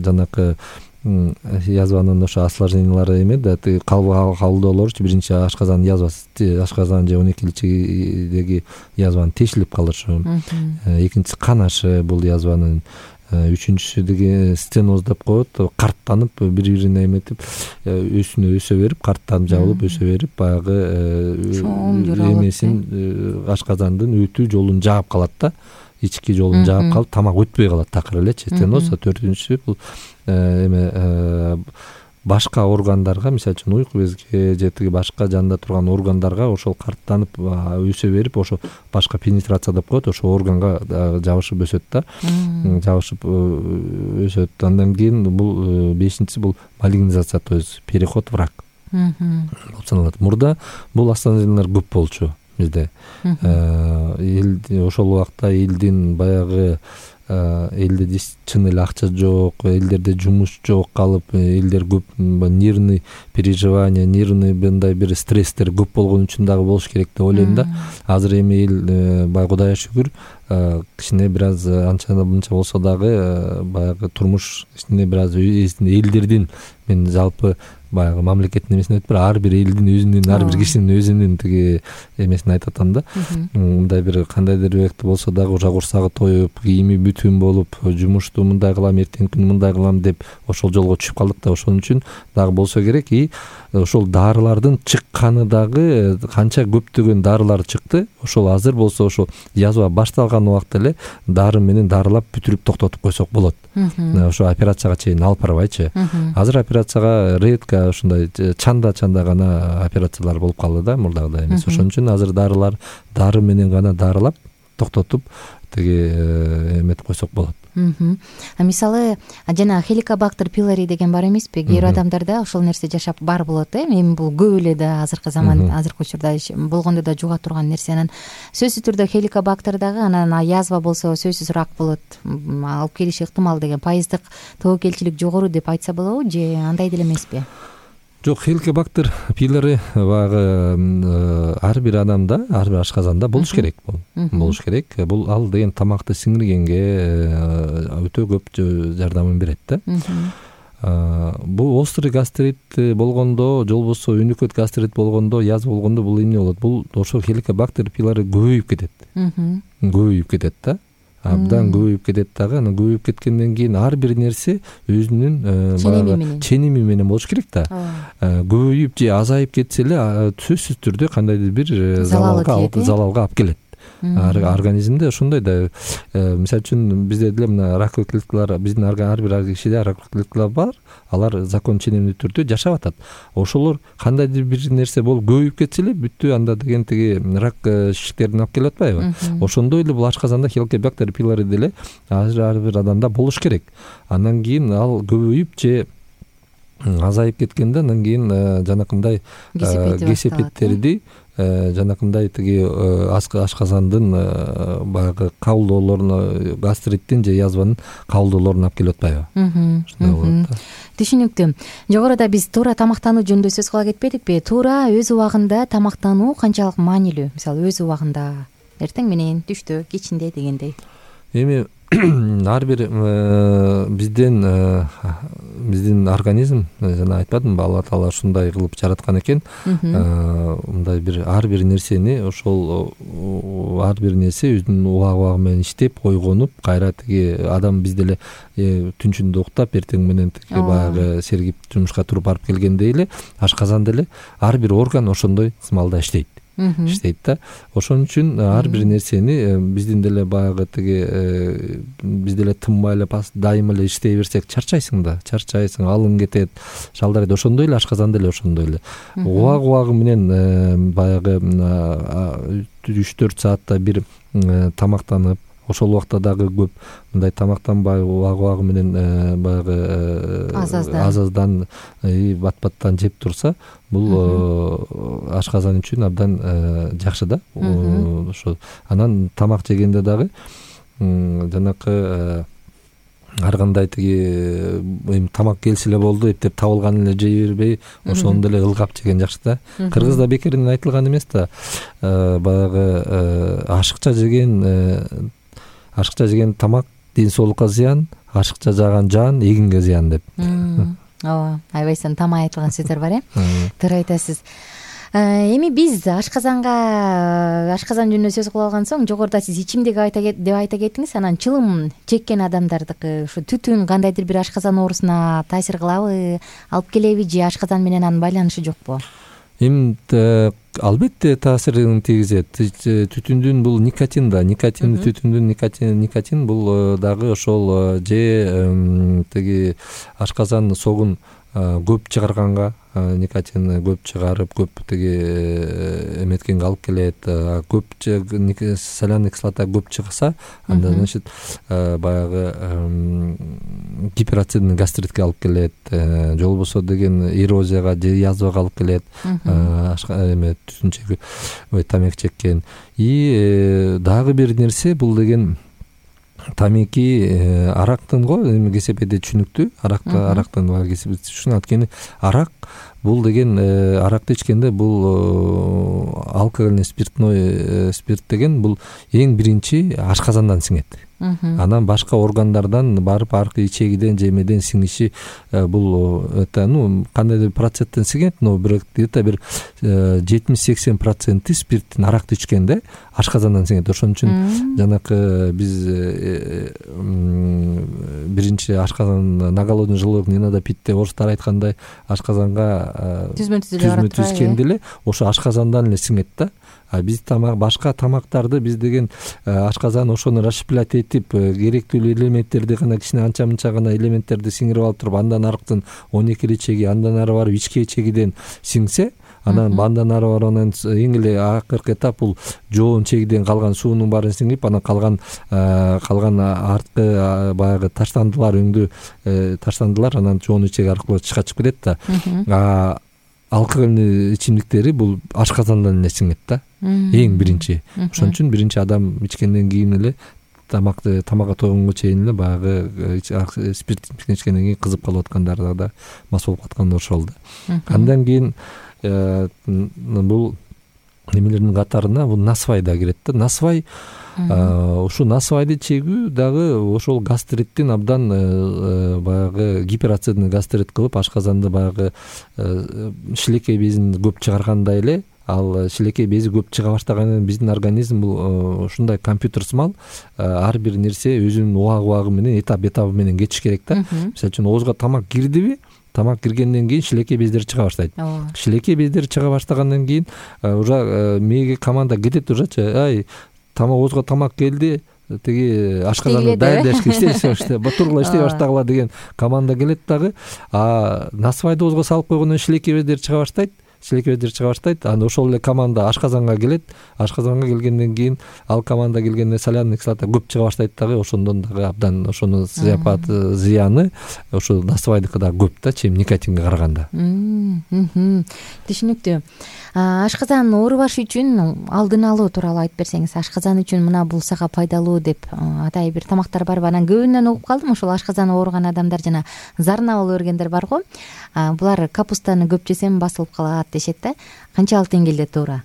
жанакы язванын ошо осложнениялары эме да, кабылдоолорчу биринчи ашказан язвасы, ашказан же он экинчидеги язванын тешилип калышы, экинчиси канашы бул язванын, үчүнчүсү деги стеноз деп коет, карттанып бири бирине эметип өсүнө өсө берип, карттанып жабылып өсө берип, баягы эмесин ашказандын өтүү жолун жаап калат да, ички жолун жаап калып, тамак өтпөй калат такыр элечи. Стеноз. Төртүнчүсү бул эме башка органдарга, мисалы үчүн уйку безге же тиги башка жанда турган органдарга ошол карттанып өсө берип, ошо башка пенетрация деп коет, ошо органга жабышып өсөт да, жабышып өсөт. Андан кийин бул бешинчиси бул малигнизация, то есть переход в рак болуп саналат. Мурда бул осложнениялар көп болчу бизде. Ошол убакта элдин баягы элде чын эле акча жок, элдерде жумуш жок калып, элдер көп нервный переживание, нервный мындай бир стресстер көп болгон үчүн дагы болуш керек деп ойлойм да. Азыр эми эл баягы Кудайга шүгүр кичине бир аз анча мынча болсо дагы баягы турмуш кичине бир аз элдердин, мен жалпы баягы мамлекеттин эмесин айтып, ар бир элдин өзүнүн, ар бир кишинин өзүнүн тиги эмесин айтып атам да. Мындай бир кандайдыр бекти болсо дагы уже курсагы тоюп, кийими бүт түн болуп жумушту мындай кылам, эртеңки күнү мындай кылам деп ошол жолго түшүп калдык да. Ошон үчүн дагы болсо керек. И ошол дарылардын чыкканы дагы канча көптөгөн дарылар чыкты. Ошол азыр болсо ошол язва башталган убакта эле дары менен дарылап бүтүрүп токтотуп койсок болот. Ошо операцияга чейин алып барбайчы. Азыр операцияга редко ушундай чанда чанда гана операциялар болуп калды да, мурдагыдай эмес. Ошон үчүн азыр дарылар дары менен гана дарылап токтотуп тиги эметип койсок болот. Мисалы жана хеликобактер пилори деген бар эмеспи? Кээ бир адамдарда ошол нерсе жашап бар болот э. Эми бул көп эле да азыркы заман, азыркы учурда болгондо да жуга турган нерсе. Анан сөзсүз түрдө хеликобактер дагы, анан язва болсо сөзсүз рак болот, алып келиши ыктымал деген пайыздык тобокелчилик жогору деп айтса болобу же андай деле эмеспи? Жок, хеликобактер пилори баягы ар бир адамда, ар бир ашказанда болуш керек. Бул болуш керек. Бул ал деген тамакты сиңиргенге өтө көп жардамын берет да. Бул острый гастрит болгондо, же болбосо өнөкөт гастрит болгондо, язва болгондо бул эмне болот? Бул ошол хеликобактер пилори көбөйүп кетет. Көбөйүп кетет да. Абдан көбөйүп кетет дагы. Анан көбөйүп кеткенден кийин ар бир нерсе өзүнүн ченеми менен болуш керек да. Көбөйүп же азайып кетсе эле сөзсүз түрдө кандайдыр бир залалга алып келет. Организмде ошондой да. Мисалы үчүн бизде деле мына раковый клеткалар, биздин ар бир кишиде раковый клеткалар бар. Алар закон ченемдүү түрдө жашап атат. Ошолор кандайдыр бир нерсе болуп көбөйүп кетсе эле бүттү, анда деген тиги рак шишиктерин алып келип атпайбы? Ошондой эле бул ашказанда хеликобактер пилори деле ар бир адамда болуш керек. Андан кийин ал көбөйүп же азайып кеткенде, андан кийин жанакындай кесепеттерди, жанакындай тиги ашказандын баягы кабылдоолоруна, гастриттин же язванын кабылдоолоруна алып келип атпайбы? Ушундай болот да. Түшүнүктүү. Жогоруда биз туура тамактануу жөнүндө сөз кыла кетпедикпи? Туура өз убагында тамактануу канчалык маанилүү? Мисалы өз убагында, эртең менен, түштө, кечинде дегендей. Эми ар бир биздин биздин организм, жана айтпадымбы, Алла Таала ушундай кылып жараткан экен. Мындай бир ар бир нерсени, ошол ар бир нерсе өзүнүн убагы убагы менен иштеп, ойгонуп, кайра тиги адам биз деле түнчүндө уктап, эртең менен тиги баягы сергип жумушка туруп барып келгендей эле ашказан деле ар бир орган ошондой ыкмалда иштейт. иштейт да. Ошон үчүн ар бир нерсени биздин деле баягы тиги биз деле тынбай эле дайыма эле иштей берсек чарчайсың да, чарчайсың, алың кетет, шалдарайт. Ошондой эле ашказан деле ошондой эле. Убагы убагы менен баягы үч төрт саатта бир тамактанып, ошол убакта дагы көп мындай тамактанбай убагы убагы менен баягы азаздан бат баттан жеп турса, бул ашказан үчүн абдан жакшы да. Ошо анан тамак жегенде дагы жанакы ар кандай тиги эми тамак келсе эле болду, эптеп табылган эле жей бербей, ошону деле ылгап жеген жакшы да. Кыргызда бекеринен айтылган эмес да, баягы ашыкча жеген ашыкча жеген тамак ден соолукка зыян, ашыкча жаган жан эгинге зыян деп. Ооба, айбайсан тамай айтылган сөздөр бар э. Туура айтасыз. Эми биз ашказанга ашказан жөнүндө сөз кылып алган соң, жогоруда сиз ичимдик деп айта кеттиңиз. Анан чылым чеккен адамдардыкы ушу түтүн кандайдыр бир ашказан оорусуна таасир кылабы, алып келеби же ашказан менен анын байланышы жокпу? Эми албетте таасирин тийгизет. Түтүндүн бул никотин да, никотин түтүндүн никотин никотин бул дагы ошол же тиги ашказан согун көп чыгарганга, никотин көп чыгарып, көп тиги эметкенге алып келет. Көп соляный кислота көп чыгса, анда значит баягы гиперацидный гастритке алып келет, же болбосо деген эрозияга же язвага алып келет. Эме түтүн чегип, ой тамак чеккен. И дагы бир нерсе бул деген тамеки арактын го, эми кесепеде түшүнүктүү, аракта арактын бар кесепети түшүн. Анткени арак бул деген аракты ичкенде бул алкогольный спиртной спирт деген бул эң биринчи ашказандан сиңет. Анан башка органдардан барып аркы ичегиден же эмеден сиңиши бул это ну кандайдыр проценттен сиңет, но бирок где-то бир жетимиш сексен проценти спирттин аракты ичкенде ашказандан сиңет. Ошон үчүн жанакы биз биринчи ашказан на голодный желудок не надо пить деп орустар айткандай ашказанга түзмө түз ичкенде эле ошо ашказандан эле сиңет да. А биз тамак башка тамактарды биз деген ашказан ошону расщеплять этип керектүү элементтерди гана кичине анча мынча гана элементтерди сиңирип алып туруп андан аркытын он экили чеги андан ары барып ички чегиден сиңсе, анан андан ары барып анан эң эле акыркы этап бул жоон чегиден калган суунун баарын сиңирип анан калган калган арткы баягы таштандылар өңдүү таштандылар анан жоон чеги аркылуу качып кетет да. Алкогольный ичимдиктери бул ашказандан эле сиңет да, эң биринчи. Ошон үчүн биринчи адам ичкенден кийин эле тамакты тамакка тойгонго чейин эле баягы спирт ичкенден кийин кызып калып аткандар да мас болуп аткандар ошол да. Андан кийин бул немелердин катарына бул насвай да кирет да. Насвай ушу насвайды чегүү дагы ошол гастриттин абдан баягы гиперацидный гастрит кылып ашказанды баягы шилекей безин көп чыгаргандай эле, ал шилекей бези көп чыга баштагандан биздин организм бул ушундай компьютер сымал, ар бир нерсе өзүнүн убагы убагы менен этап этабы менен кетиш керек да. Мисалы үчүн оозго тамак кирдиби, тамак киргенден кийин шилекей бездери чыга баштайт. Шилекей бездери чыга баштагандан кийин уже мээге команда кетет, ужачы ай тамак оозго тамак келди, тиги ашказанды даярдашка иштеши тургула иштей баштагыла деген команда келет дагы. А насвайды оозго салып койгондон шилекей бездери чыга баштайт. Шилекей бездери чыга баштайт. Анан ошол эле команда ашказанга келет. Ашказанга келгенден кийин ал команда келгенде соляный кислота көп чыга баштайт дагы. Ошондон дагы абдан ошонун зыяпаты зыяны ошо насвайдыкы дагы көп да, чем никотинге караганда. Түшүнүктүү. Ашказан оорубаш үчүн алдын алуу тууралуу айтып берсеңиз, ашказан үчүн мына бул сага пайдалуу деп атай бир тамактар барбы? Анан көбүнөн угуп калдым, ошол ашказан ооруган адамдар жана зарна болуп бергендер барго. Булар капустаны көп жесем басылып калат дешет да. Канчалык деңгээлде туура?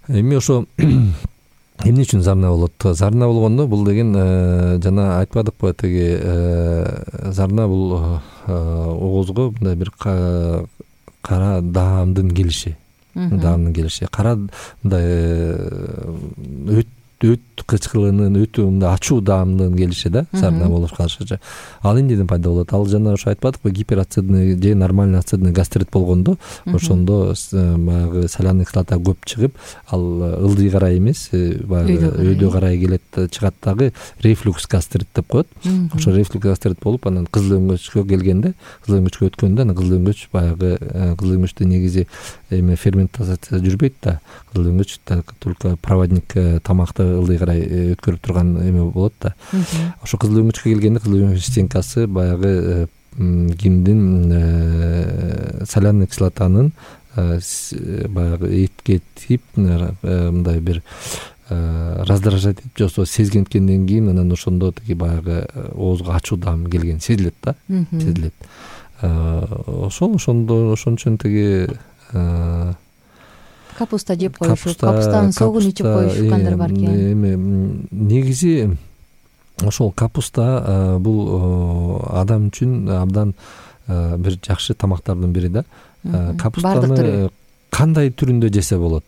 Эми ошо эмне үчүн зарна болот? Зарна болгондо бул деген жана айтпадыкпы, тиги зарна бул оозго мындай бир кара даамдын келиши. Даамдын келиши. Кара мындай өт өт кычкылынын өтө мындай ачуу даамдын келиши да, зарна болуп калышычы. Ал эмнеден пайда болот? Ал жана ошо айтпадыкпы, гиперацидный же нормальный ацидный гастрит болгондо, ошондо баягы соляный кислота көп чыгып, ал ылдый карай эмес, баягы өйдө карай келет, чыгат дагы рефлюкс гастрит деп коет. Ошо рефлюкс гастрит болуп, анан кызыл өңгөчкө келгенде, кызыл өңгөчкө өткөндө, анан кызыл өңгөч баягы кызыл өңгөчтө негизи эме ферментация жүрбөйт да. Кызыл өңгөч только проводник тамакты ылдый карай өткөрүп турган эме болот да. Ошо кызыл өңгөчкө келгенде кызыл өңгөч стенкасы баягы кимдин соляный кислотанын баягы этке тип мындай бир раздражать этип жосо сезгенткенден кийин анан ошондо тиги баягы оозго ачуу даам келген сезилет да, сезилет. Ошол ошондо ошон үчүн тиги капуста жеп коюшу, капустанын согун ичип коюшкандар бар экен. Эми негизи ошол капуста бул адам үчүн абдан бир жакшы тамактардын бири да. Капустаны кандай түрүндө жесе болот?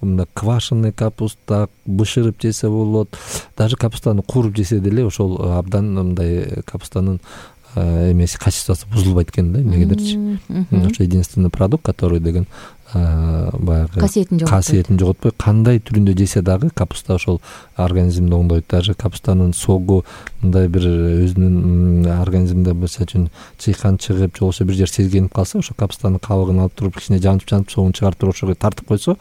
Мында квашеный капуста бышырып жесе болот, даже капустаны кууруп жесе деле ошол абдан мындай капустанын эмеси качествосу бузулбайт экен да, эмнегедирчи. Ошо единственный продукт, который деген баягы касиетин жоготпой, кандай түрүндө жесе дагы капуста ошол организмди оңдойт. Даже капустанын согу мындай бир өзүнүн организмде мисалы үчүн чыйкан чыгып, же болбосо бир жер сезгенип калса, ошо капустанын кабыгын алып туруп кичине жанып-жанып согун чыгарып туруп ошого тартып койсо,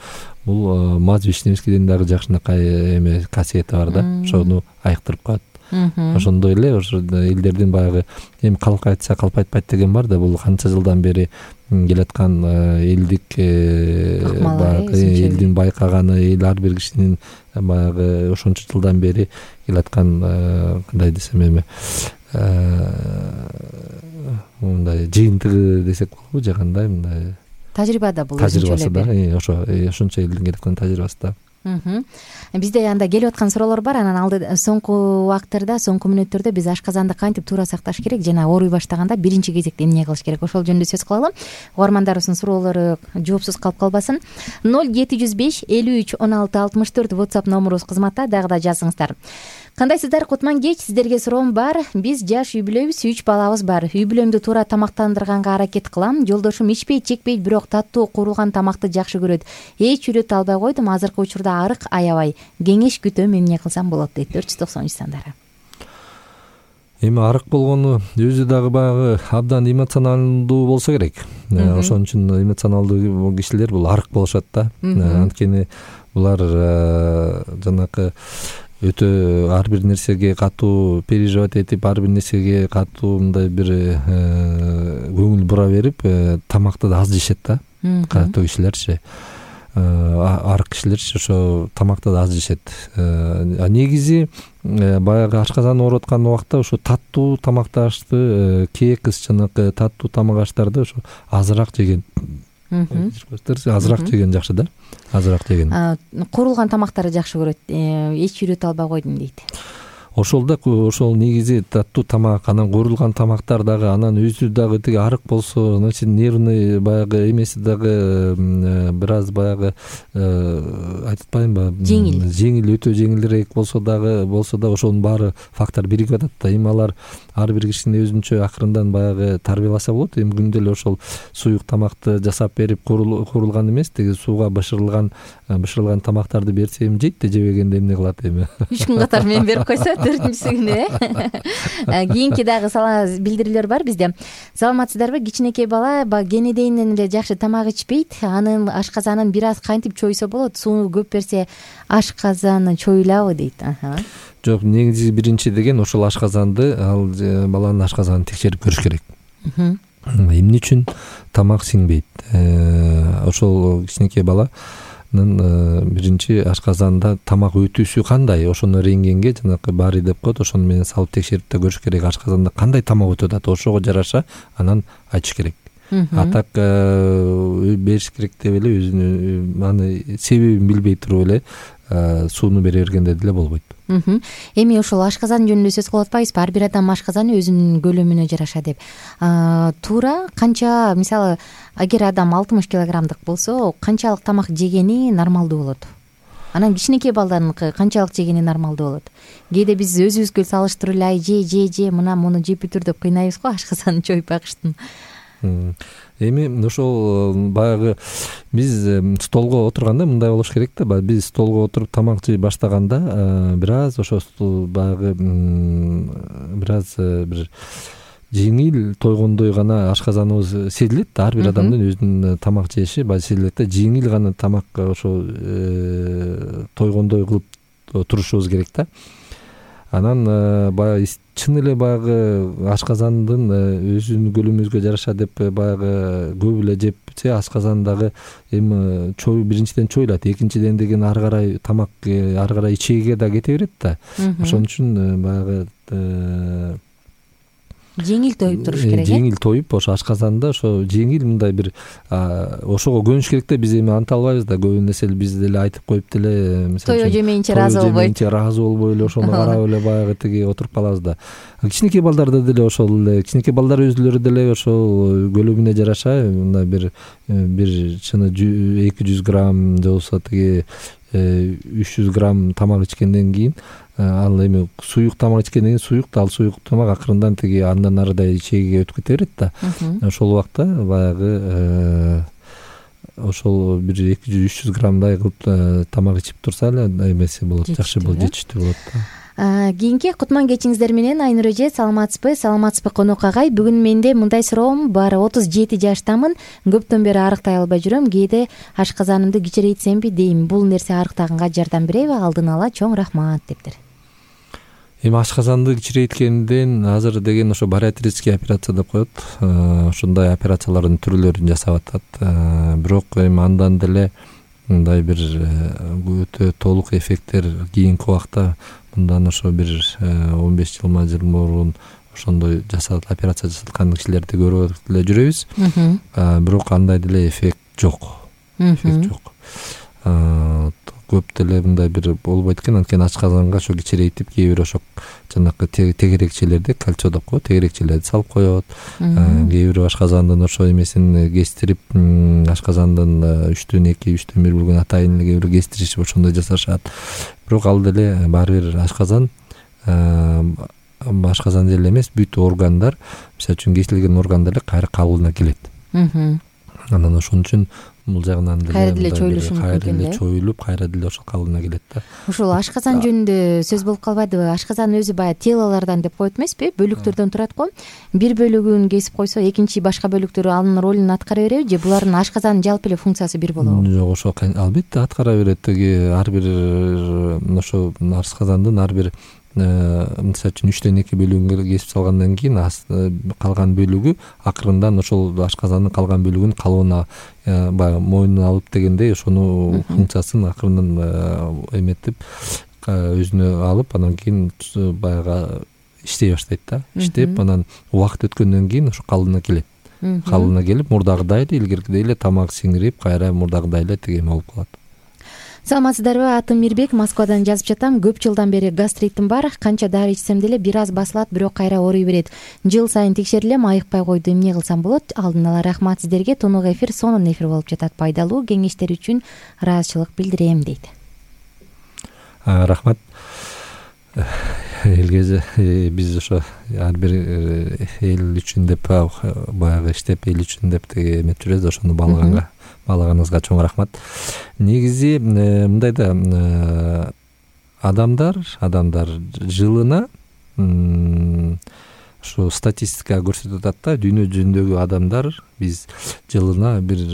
бул маз вишневскийден дагы жакшынакай эме касиети бар да. Ошону айыктырып коет. ошондой эле ошо элдердин баягы эми калк айтса калп айтпайт деген бар да, бул канча жылдан бери келаткан элдик баягы элдин байкаганы, эл ар бир кишинин баягы ошончо жылдан бери келаткан кандай десем эми мындай жыйынтыгы десек болобу же кандай мындай тажрыйба да, бул тажрыйбасы да, ошо ошончо элдин келаткан тажрыйбасы да. Бизде анда келип аткан суроолор бар. Анан алды соңку убакыттарда, соңку мүнөттөрдө биз ашказанды кантип туура сакташ керек жана ооруй баштаганда биринчи кезекте эмне кылыш керек, ошол жөнүндө сөз кылалы. Угармандарыбыздын суроолору жоопсуз калып калбасын. ноль жети жүз беш элүү үч он алты алтымыш төрт WhatsApp номурубуз кызматта, дагы да жазыңыздар. Кандайсыздар, Кутман кеч, сиздерге суроом бар. Биз жаш үй бүлөбүз, үч балабыз бар. Үй бүлөмдү туура тамактандырганга аракет кылам. Жолдошум ичпейт, чекпейт, бирок таттуу куурулган тамакты жакшы көрөт. Эч үйрөтө албай койдум, азыркы учурда арык аябай. Кеңеш күтөм, эмне кылсам болот дейт төрт жүз токсон үч сандары. Эми арык болгону өзү дагы баягы абдан эмоционалдуу болсо керек. Ошон үчүн эмоционалдуу кишилер бул арык болушат да. Анткени булар жанакы өтө ар бир нерсеге катуу переживать этип, ар бир нерсеге катуу мындай бир көңүл бура берип, тамакты да аз жешет да. Катуу кишилерчи, арык кишилерчи ошо тамакты да аз жешет. А негизи баягы ашказан ооруп аткан убакта ошо таттуу тамакты ашты, кекс жанакы таттуу тамак аштарды ошо азыраак жеген. Азыраак жеген жакшы да, азыраак жеген. Куурулган тамактарды жакшы көрөт, эч үйрөтө албай койдум дейт. Ошол да, ошол негизи таттуу тамак, анан куурулган тамактар дагы, анан өзү дагы тиги арык болсо, значит нервный баягы эмеси дагы бир аз баягы айтып атпаймынбы, жеңил жеңил өтө жеңилирээк болсо дагы болсо да ошонун баары фактор биригип атат да. Эми алар ар бир кишини өзүнчө акырындан баягы тарбияласа болот. Эми күндө эле ошол суюк тамакты жасап берип, куурулган эмес, тиги сууга бышырылган бышырылган тамактарды берсе эми жейт да, жебегенде эмне кылат эми. үч күн катар менен берип койсо төртүнчүсү күнү э кийинки дагы билдирүүлөр бар бизде. Саламатсыздарбы? Кичинекей бала кенедейинен эле жакшы тамак ичпейт. Анын ашказанын бир аз кантип чойсо болот? Сууну көп берсе ашказаны чоюлабы дейт. Жок, негизи биринчи деген ошол ашказанды, ал баланын ашказанын текшерип көрүш керек. Эмне үчүн тамак сиңбейт? Ошол кичинекей бала биринчи ашказанда тамак өтүүсү кандай, ошону рентгенге жанакы бари деп коет, ошону менен салып текшерип да көрүш керек. Ашказанда кандай тамак өтүп атат, ошого жараша анан айтыш керек. А так бериш керек деп эле өзүнүн аны себебин билбей туруп эле сууну бере бергенде деле болбойт. Эми ошол ашказан жөнүндө сөз кылып атпайбызбы? Ар бир адам ашказаны өзүнүн көлөмүнө жараша деп. Туура канча, мисалы, эгер адам алтымыш килограммдык болсо, канчалык тамак жегени нормалдуу болот? Анан кичинекей балдарыныкы канчалык жегени нормалдуу болот? Кээде биз өзүбүзгө салыштырып эле же же же мына муну жеп бүтүр деп кыйнайбыз го ашказанын чоюп багыштын. Эми ошол баягы биз столго отурганда мындай болуш керек да. Биз столго отуруп тамак жей баштаганда бир аз ошо баягы бир аз бир жеңил тойгондой гана ашказаныбыз сезилет да. Ар бир адамдын өзүнүн тамак жеши баягы сезилет да. Жеңил гана тамак ошо тойгондой кылып турушубуз керек да. Анан баягы чын эле баягы ашказандын өзүнүн көлөмүбүзгө жараша деп баягы көп эле жепсе, ашказан дагы эми чой биринчиден чоюлат, экинчиден деген ары карай тамак ары карай ичеге да кете берет да. Ошон үчүн баягы жеңил тоюп туруш керек. Жеңил тоюп, ошо ашказанда ошо жеңил мындай бир ошого көнүш керек да. Биз эми анта албайбыз да, көбүн эсе биз деле айтып коюп деле, мисалы тою жемейинче ыраазы болбойт. ыраазы болбой эле ошону карап эле баягы тиги отуруп калабыз да. Кичинекей балдарда деле ошол эле, кичинекей балдар өзүлөрү деле ошол көлөмүнө жараша мындай бир бир чыны эки жүз грамм же болбосо тиги үч жүз грамм тамак ичкенден кийин, ал эми суюк тамак ичкенден кийин суюк да, ал суюк тамак акырындан тиги андан арыдай ичегиге өтүп кете берет да. Ошол убакта баягы ошол бир эки жүз үч жүз граммдай кылып тамак ичип турса эле эмеси болот, жакшы болот, жетиштүү болот да. Кийинки Кутман кечиңиздер менен Айнур эже, саламатсызбы? Саламатсызбы конок агай? Бүгүн менде мындай суроом бар. отуз жети жаштамын. Көптөн бери арыктай албай жүрөм. Кээде ашказанымды кичирейтсемби дейм. Бул нерсе арыктаганга жардам береби? Алдын ала чоң рахмат дептир. эми ашказанды кичирейткенден азыр деген ошо бариатрический операция деп коет, ушундай операциялардын түрлөрүн жасап атат. Бирок эми андан деле мындай бир өтө толук эффекттер кийинки убакта, мындан ошо бир он беш жыл жыл мурун ошондой жасалат, операция жасалган кишилерди көрүп эле жүрөбүз. Бирок андай деле эффект жок. Эффект жок. Көп деле мындай бир болбойт экен. Анткени ашказанга ошо кичирейтип кээ бир ошо жанакы тегерекчелерди, кальций деп коет, тегерекчелерди салып коет. Кээ бир ашказандын ошо эмесин кестирип, ашказандын үчтөн эки, үчтөн бир бөлүгүн атайын эле кээ бир кестиришип ошондой жасашат. Бирок ал деле баары бир ашказан ашказан деле эмес, бүт органдар, мисалы үчүн кесилген органдар эле кайра калыбына келет. Анан ошон үчүн бул жагынан деле кайра деле чоюлушу мүмкүн экен да. Чоюлуп, кайра деле ошол калыбына келет да. Ушул ашказан жөнүндө сөз болуп калбайдыбы? Ашказан өзү баягы телолордон деп коет эмеспи? Бөлүктөрдөн турат го. Бир бөлүгүн кесип койсо, экинчи башка бөлүктөрү анын ролун аткара береби же булардын ашказандын жалпы эле функциясы бир болобу? Жок, ошо албетте аткара берет. Теги ар бир ошо ашказандын ар бир мисалы үчүн үчтөн эки бөлүгүн кесип салгандан кийин калган бөлүгү акырындан ошол ашказандын калган бөлүгүн калыбына баягы мойнуна алып дегендей ошону функциясын акырындан эметип өзүнө алып, анан кийин баягы иштей баштайт да. Иштеп, анан убакыт өткөндөн кийин ошо калыбына келет. Калыбына келип, мурдагыдай эле, илгеркидей эле тамак сиңирип, кайра мурдагыдай эле тиги эме болуп калат. Саламатсыздарбы? Атым Мирбек, Москвадан жазып жатам. Көп жылдан бери гастритим бар. Канча дары ичсем деле бир аз басылат, бирок кайра ооруй берет. Жыл сайын текшерилем, айыкпай койду. Эмне кылсам болот? Алдын ала рахмат сиздерге. Тонук эфир, сонун эфир болуп жатат. Пайдалуу кеңештер үчүн ыраазычылык билдирем дейт. Рахмат. Элге биз ошо ар бир эл үчүн деп баягы иштеп, эл үчүн деп теге эметип жүрөбүз. Ошону баалаганга баалаганыңызга чоң рахмат. Негизи мындай да, адамдар адамдар жылына ошо статистика көрсөтүп атат да, дүйнө жүзүндөгү адамдар биз жылына бир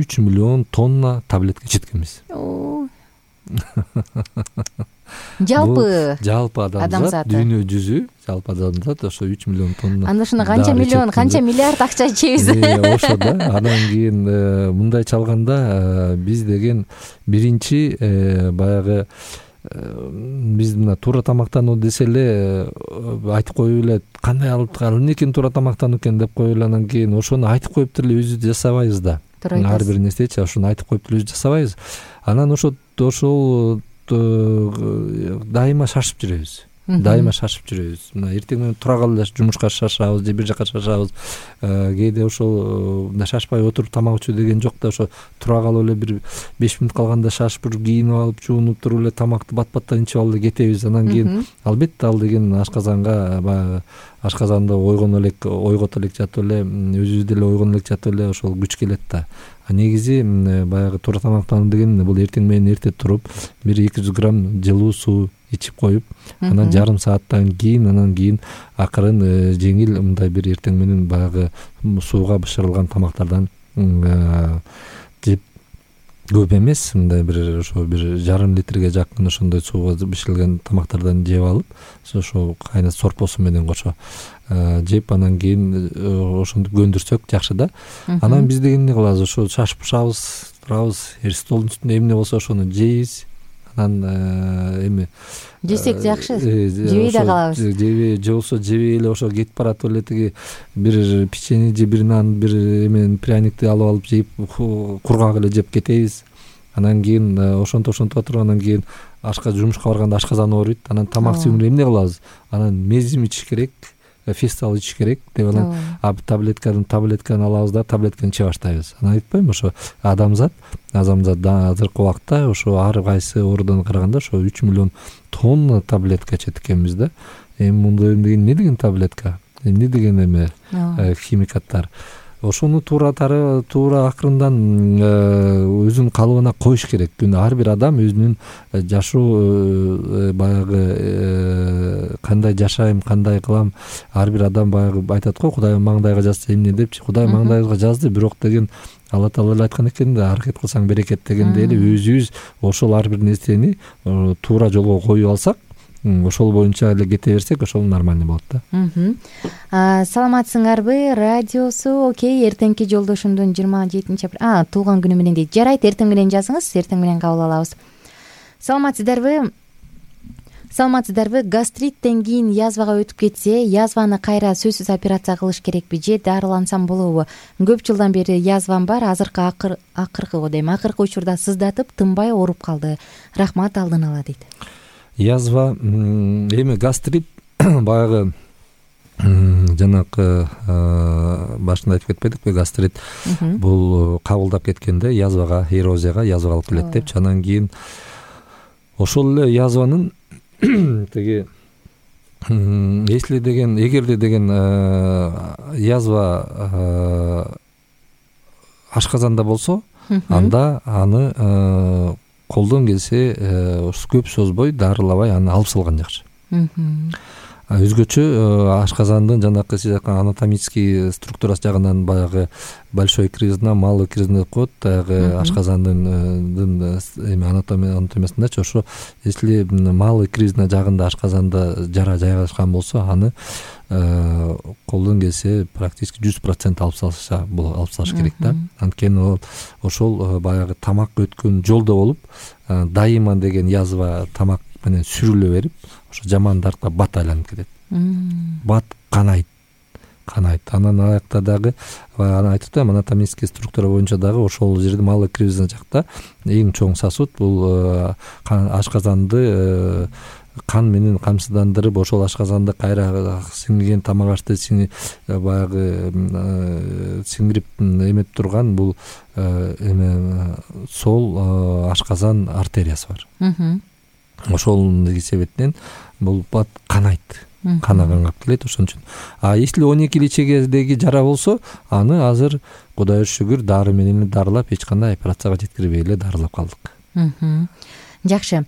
үч миллион тонна таблетка ичеткенбиз. Жалпы жалпы адамзат, дүйнө жүзү, жалпы адамзат ошо үч миллион тонна. Анда ушуна канча миллион, канча миллиард акча ичебиз. Ошо да. Анан кийин мындай чалганда биз деген биринчи баягы биз мына туура тамактануу десе эле айтып коюп эле, кандай алып эмнекен туура тамактануу экен деп коюп эле, анан кийин ошону айтып коюп деле өзүбүз жасабайбыз да. Ар бир нерсечи ошону айтып коюп деле өзүбүз жасабайбыз. Анан ошо ошол дайыма шашып жүрөбүз. Дайыма шашып жүрөбүз. Мына эртең менен тура калып эле жумушка шашабыз же бир жака шашабыз. Кээде ошол мына шашпай отуруп тамак ичүү деген жок да, ошо тура калып эле бир беш мүнөт калганда шашып туруп, кийинип алып, жуунуп туруп эле тамакты бат-баттан ичип алып эле кетебиз. Анан кийин албетте ал деген ашказанга баягы ашказанды ойгоно элек, ойгото элек жатып эле, өзүбүз деле ойгоно элек жатып эле ошол күч келет да. А негизи баягы туура тамактануу деген бул эртең менен эрте туруп бир эки жүз грамм жылуу суу ичип коюп, анан жарым сааттан кийин, анан кийин акырын жеңил мындай бир эртең менен баягы сууга бышырылган тамактардан жеп, көп эмес, мындай бир ошо бир жарым литрге жакын ошондой сууга бышырылган тамактардан жеп алып, ошо кайнат сорпосу менен кошо жеп, анан кийин ошентип көндүрсөк жакшы да. Анан биз деген эмне кылабыз? Ошо шашып бышабыз, турабыз, столдун үстүндө эмне болсо ошону жейбиз. Анан эми жесек жакшы, жебей да калабыз. Жебей, же болсо жебей эле ошо кетип баратып эле тиги бир печенье же бир нан, бир эме пряникти алып алып жейп, кургак эле жеп кетебиз. Анан кийин ошентип ошентип отуруп, анан кийин ашка жумушка барганда ашказан ооруйт. Анан тамак сиңирип эмне кылабыз? Анан мезим ичиш керек, фестал ичиш керек деп анан таблетканы таблетканы алабыз да, таблетканы иче баштайбыз. Анан айтпаймынбы, ошо адамзат адамзат азыркы убакта ошо ар кайсы оорудан караганда ошо үч миллион тонна таблетка ичет экенбиз да. Эми мындай деген эмне деген таблетка? Эмне деген эме химикаттар? Ошону туура туура акырындан өзүнүн калыбына коюш керек. Ар бир адам өзүнүн жашоо баягы кандай жашайм, кандай кылам, ар бир адам баягы айтат го, Кудай маңдайга жазса эмне депчи. Кудай маңдайыбызга жазды, бирок деген Алла Таала эле айткан экен да, аракет кылсаң берекет дегендей эле өзүбүз ошол ар бир нерсени туура жолго коюп алсак, ошол боюнча эле кете берсек ошол нормальный болот да. Саламатсыңарбы? Радиосу окей. Эртеңки жолдошумдун жыйырма жетинчи апрель туулган күнү менен дейт. Жарайт, эртең менен жазыңыз, эртең менен кабыл алабыз. Саламатсыздарбы? Саламатсыздарбы? Гастриттен кийин язвага өтүп кетсе, язваны кайра сөзсүз операция кылыш керекпи же дарылансам болобу? Көп жылдан бери язвам бар, азыркы акыр акыркы дейм, акыркы учурда сыздатып, тынбай ооруп калды. Рахмат, алдын ала дейт. Язва эми гастрит баягы жанакы башында айтып кетпедикпи, гастрит бул кабылдап кеткенде язвага, эрозияга, язвага алып келет депчи. Анан кийин ошол эле язванын тиги если деген, эгерде деген язва ашказанда болсо, анда аны колдон келсе көп созбой, дарылабай аны алып салган жакшы. Өзгөчө ашказандын жанакы сиз айткан анатомический структурасы жагынан баягы большой кризна, малый кризна деп коет. Баягы ашказандын эми анатомиясындачы ошо если малый кризна жагында ашказанда жара жайгашкан болсо, аны колдон келсе практически жүз процент алып салыша, алып салыш керек да. Анткени ошол баягы тамак өткөн жолдо болуп, дайыма деген язва тамак менен сүрүлө берип, ошо жаман даркка бат айланып кетет. Бат канайт, канайт. Анан аякта дагы аны айтып атам, анатомический структура боюнча дагы ошол жерде малый кризна жакта эң чоң сосуд бул ашказанды кан менен камсыздандырып, ошол ашказанды кайра сиңирген тамак ашты баягы сиңирип эметип турган бул эме сол ашказан артериясы бар. Ошол себептен бул бат канайт, канаганга келет. Ошон үчүн. А если он эки ичегедеги жара болсо, аны азыр Кудайга шүгүр дары менен дарылап, эч кандай операцияга жеткирбей эле дарылап калдык. Жакшы.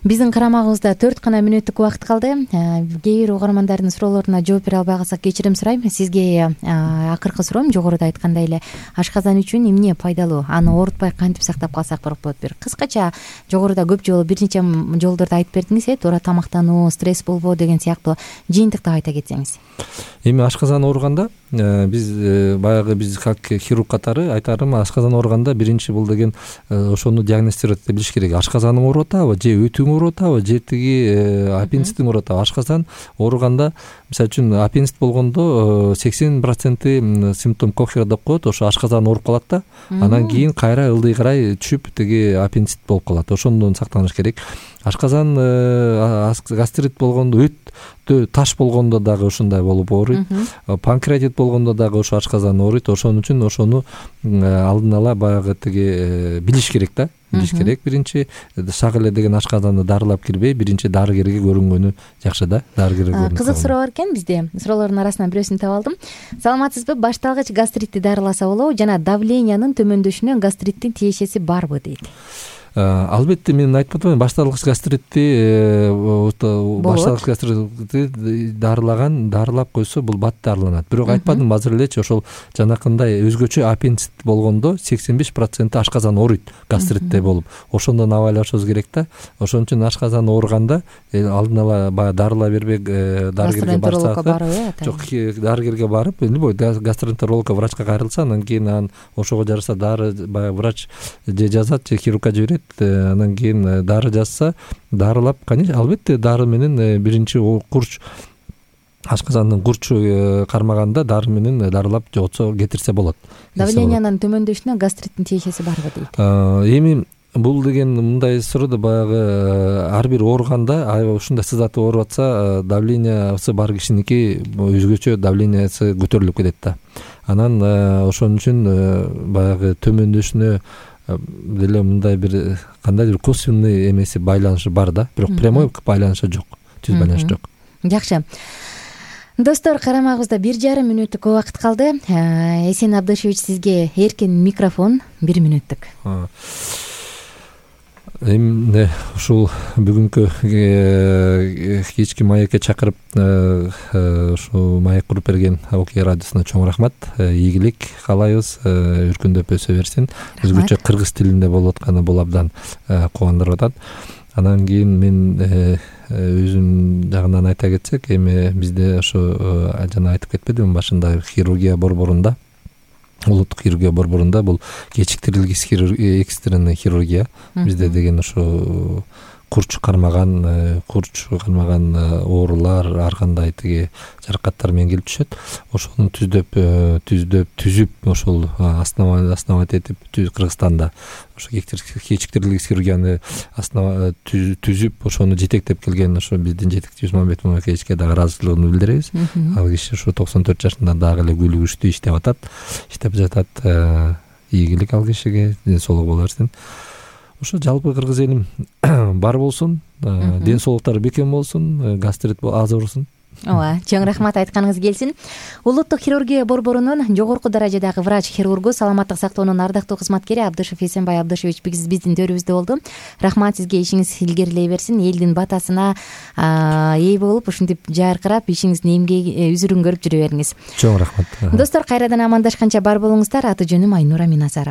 Биздин карамагыбызда төрт гана мүнөттүк убакыт калды. Кээ бир угармандардын суроолоруна жооп бере албай калсак кечирим сурайм. Сизге акыркы суроом жогоруда айткандай эле ашказан үчүн эмне пайдалуу? Аны оорутпай кантип сактап калсак болот? Бир кыскача жогоруда көп жолу бир нече жолдорду айтып бердиңиз, э, туура тамактануу, стресс болбоо деген сыяктуу жыйынтыктап айта кетсеңиз. Эми ашказан ооруганда биз баягы биз как хирург катары айтарым, ашказан ооруганда биринчи бул деген ошону диагностировать эте билиш керек. Ашказаның ооруп атабы, же өтүң ооруп атабы, же тиги аппендицитиң ооруп атабы? Ашказан ооруганда, мисалы үчүн аппендицит болгондо сексен проценти симптом кохера деп коет, ошо ашказан ооруп калат да. Анан кийин кайра ылдый карай түшүп тиги аппендицит болуп калат. Ошондон сактаныш керек. Ашказан гастрит болгондо, өт таш болгондо дагы ушундай болуп ооруйт. Панкреатит болгондо дагы ошо ашказан ооруйт. Ошон үчүн ошону алдын ала баягы тиги билиш керек да. Билиш керек. Биринчи шак эле деген ашказанды дарылап кирбей, биринчи дарыгерге көрүнгөнү жакшы да. Дарыгерге көрүнгөнү. Кызык суроо бар экен бизде. Суроолордун арасынан бирөөсүн таап алдым. Саламатсызбы? Башталгыч гастритти дарыласа болобу жана давлениянын төмөндөшүнө гастриттин тиешеси барбы дейт. Албетте мен айтып атам, башталгыч гастритти башталгыч гастритти дарылаган, дарылап койсо бул бат дарыланат. Бирок айтпадым азыр элечи, ошол жанакындай өзгөчө аппендицит болгондо сексен беш проценти ашказан ооруйт гастритте болуп. Ошондон абайлашыбыз керек да. Ошон үчүн ашказан ооруганда алдын ала баягы дарыла бербек, дарыгерге барсак, жок, дарыгерге барып, любой гастроэнтерологко, врачка кайрылса, анан кийин анан ошого жараша дары баягы врач же жазат, же хирургка жиберет. Анан кийин дары жазса, дарылап, конечно, албетте дары менен биринчи курч ашказандын курчу кармаганда дары менен дарылап жоготсо кетирсе болот. Давлениянын төмөндөшүнө гастриттин тиешеси барбы дейт. Эми бул деген мындай суроо баягы ар бир ооруганда, ушундай сыздатып ооруп атса, давлениясы бар кишиники өзгөчө давлениясы көтөрүлүп кетет да. Анан ошон үчүн баягы төмөндөшүнө деле мындай бир кандайдыр косвенный эмеси байланышы бар да, бирок прямой байланышы жок, түз байланыш жок. Жакшы. Достор, карамагыбызда бир жарым мүнөттүк убакыт калды. Эсен Абдышевич, сизге эркен микрофон, бир мүнөттүк. Эми ушул бүгүнкү кечки маекке чакырып, ушу маек куруп берген Окей радиосуна чоң рахмат. Ийгилик каалайбыз, өркүндөп өсө берсин. Өзгөчө кыргыз тилинде болуп атканы бул абдан кубандырып атат. Анан кийин мен өзүм жагынан айта кетсек, эми бизде ошо жана айтып кетпедимби башында, хирургия борборунда, улуттук хирургия борборунда бул кечиктирилген экстренный хирургия бизде деген ошо курч кармаган курч кармаган оорулар, ар кандай тиги жаракаттар менен келип түшөт. Ошону түздөп түздөп түзүп ошол основать этип Кыргызстанда ошо кечиктирилген хирургияны основа түзүп ошону жетектеп келген ошо биздин жетекчибиз Мамбет Мамакеевичке дагы ыраазычылыгымды билдиребиз. Ал киши ушу токсон төрт жашында дагы эле күлүгүчтүү иштеп атат, иштеп жатат. Ийгилик ал кишиге, ден соолук боло берсин. Ошо жалпы кыргыз элим бар болсун, ден соолуктары бекем болсун, гастрит аз урсун. Ооба, чоң рахмат, айтканыңыз келсин. Улуттук хирургия борборунун жогорку даражадагы врач-хирургу, саламаттык сактоонун ардактуу кызматкери Абдышев Эсенбай Абдышевич биздин төрүбүздө болду. Рахмат сизге, ишиңиз илгерилей берсин, элдин батасына ээ болуп, ушинтип жаркырап, ишиңиздин эмгеги үзүрүн көрүп жүрө бериңиз. Чоң рахмат. Достор, кайрадан амандашканча бар болуңуздар. Аты жөнүм Айнура Миназарова.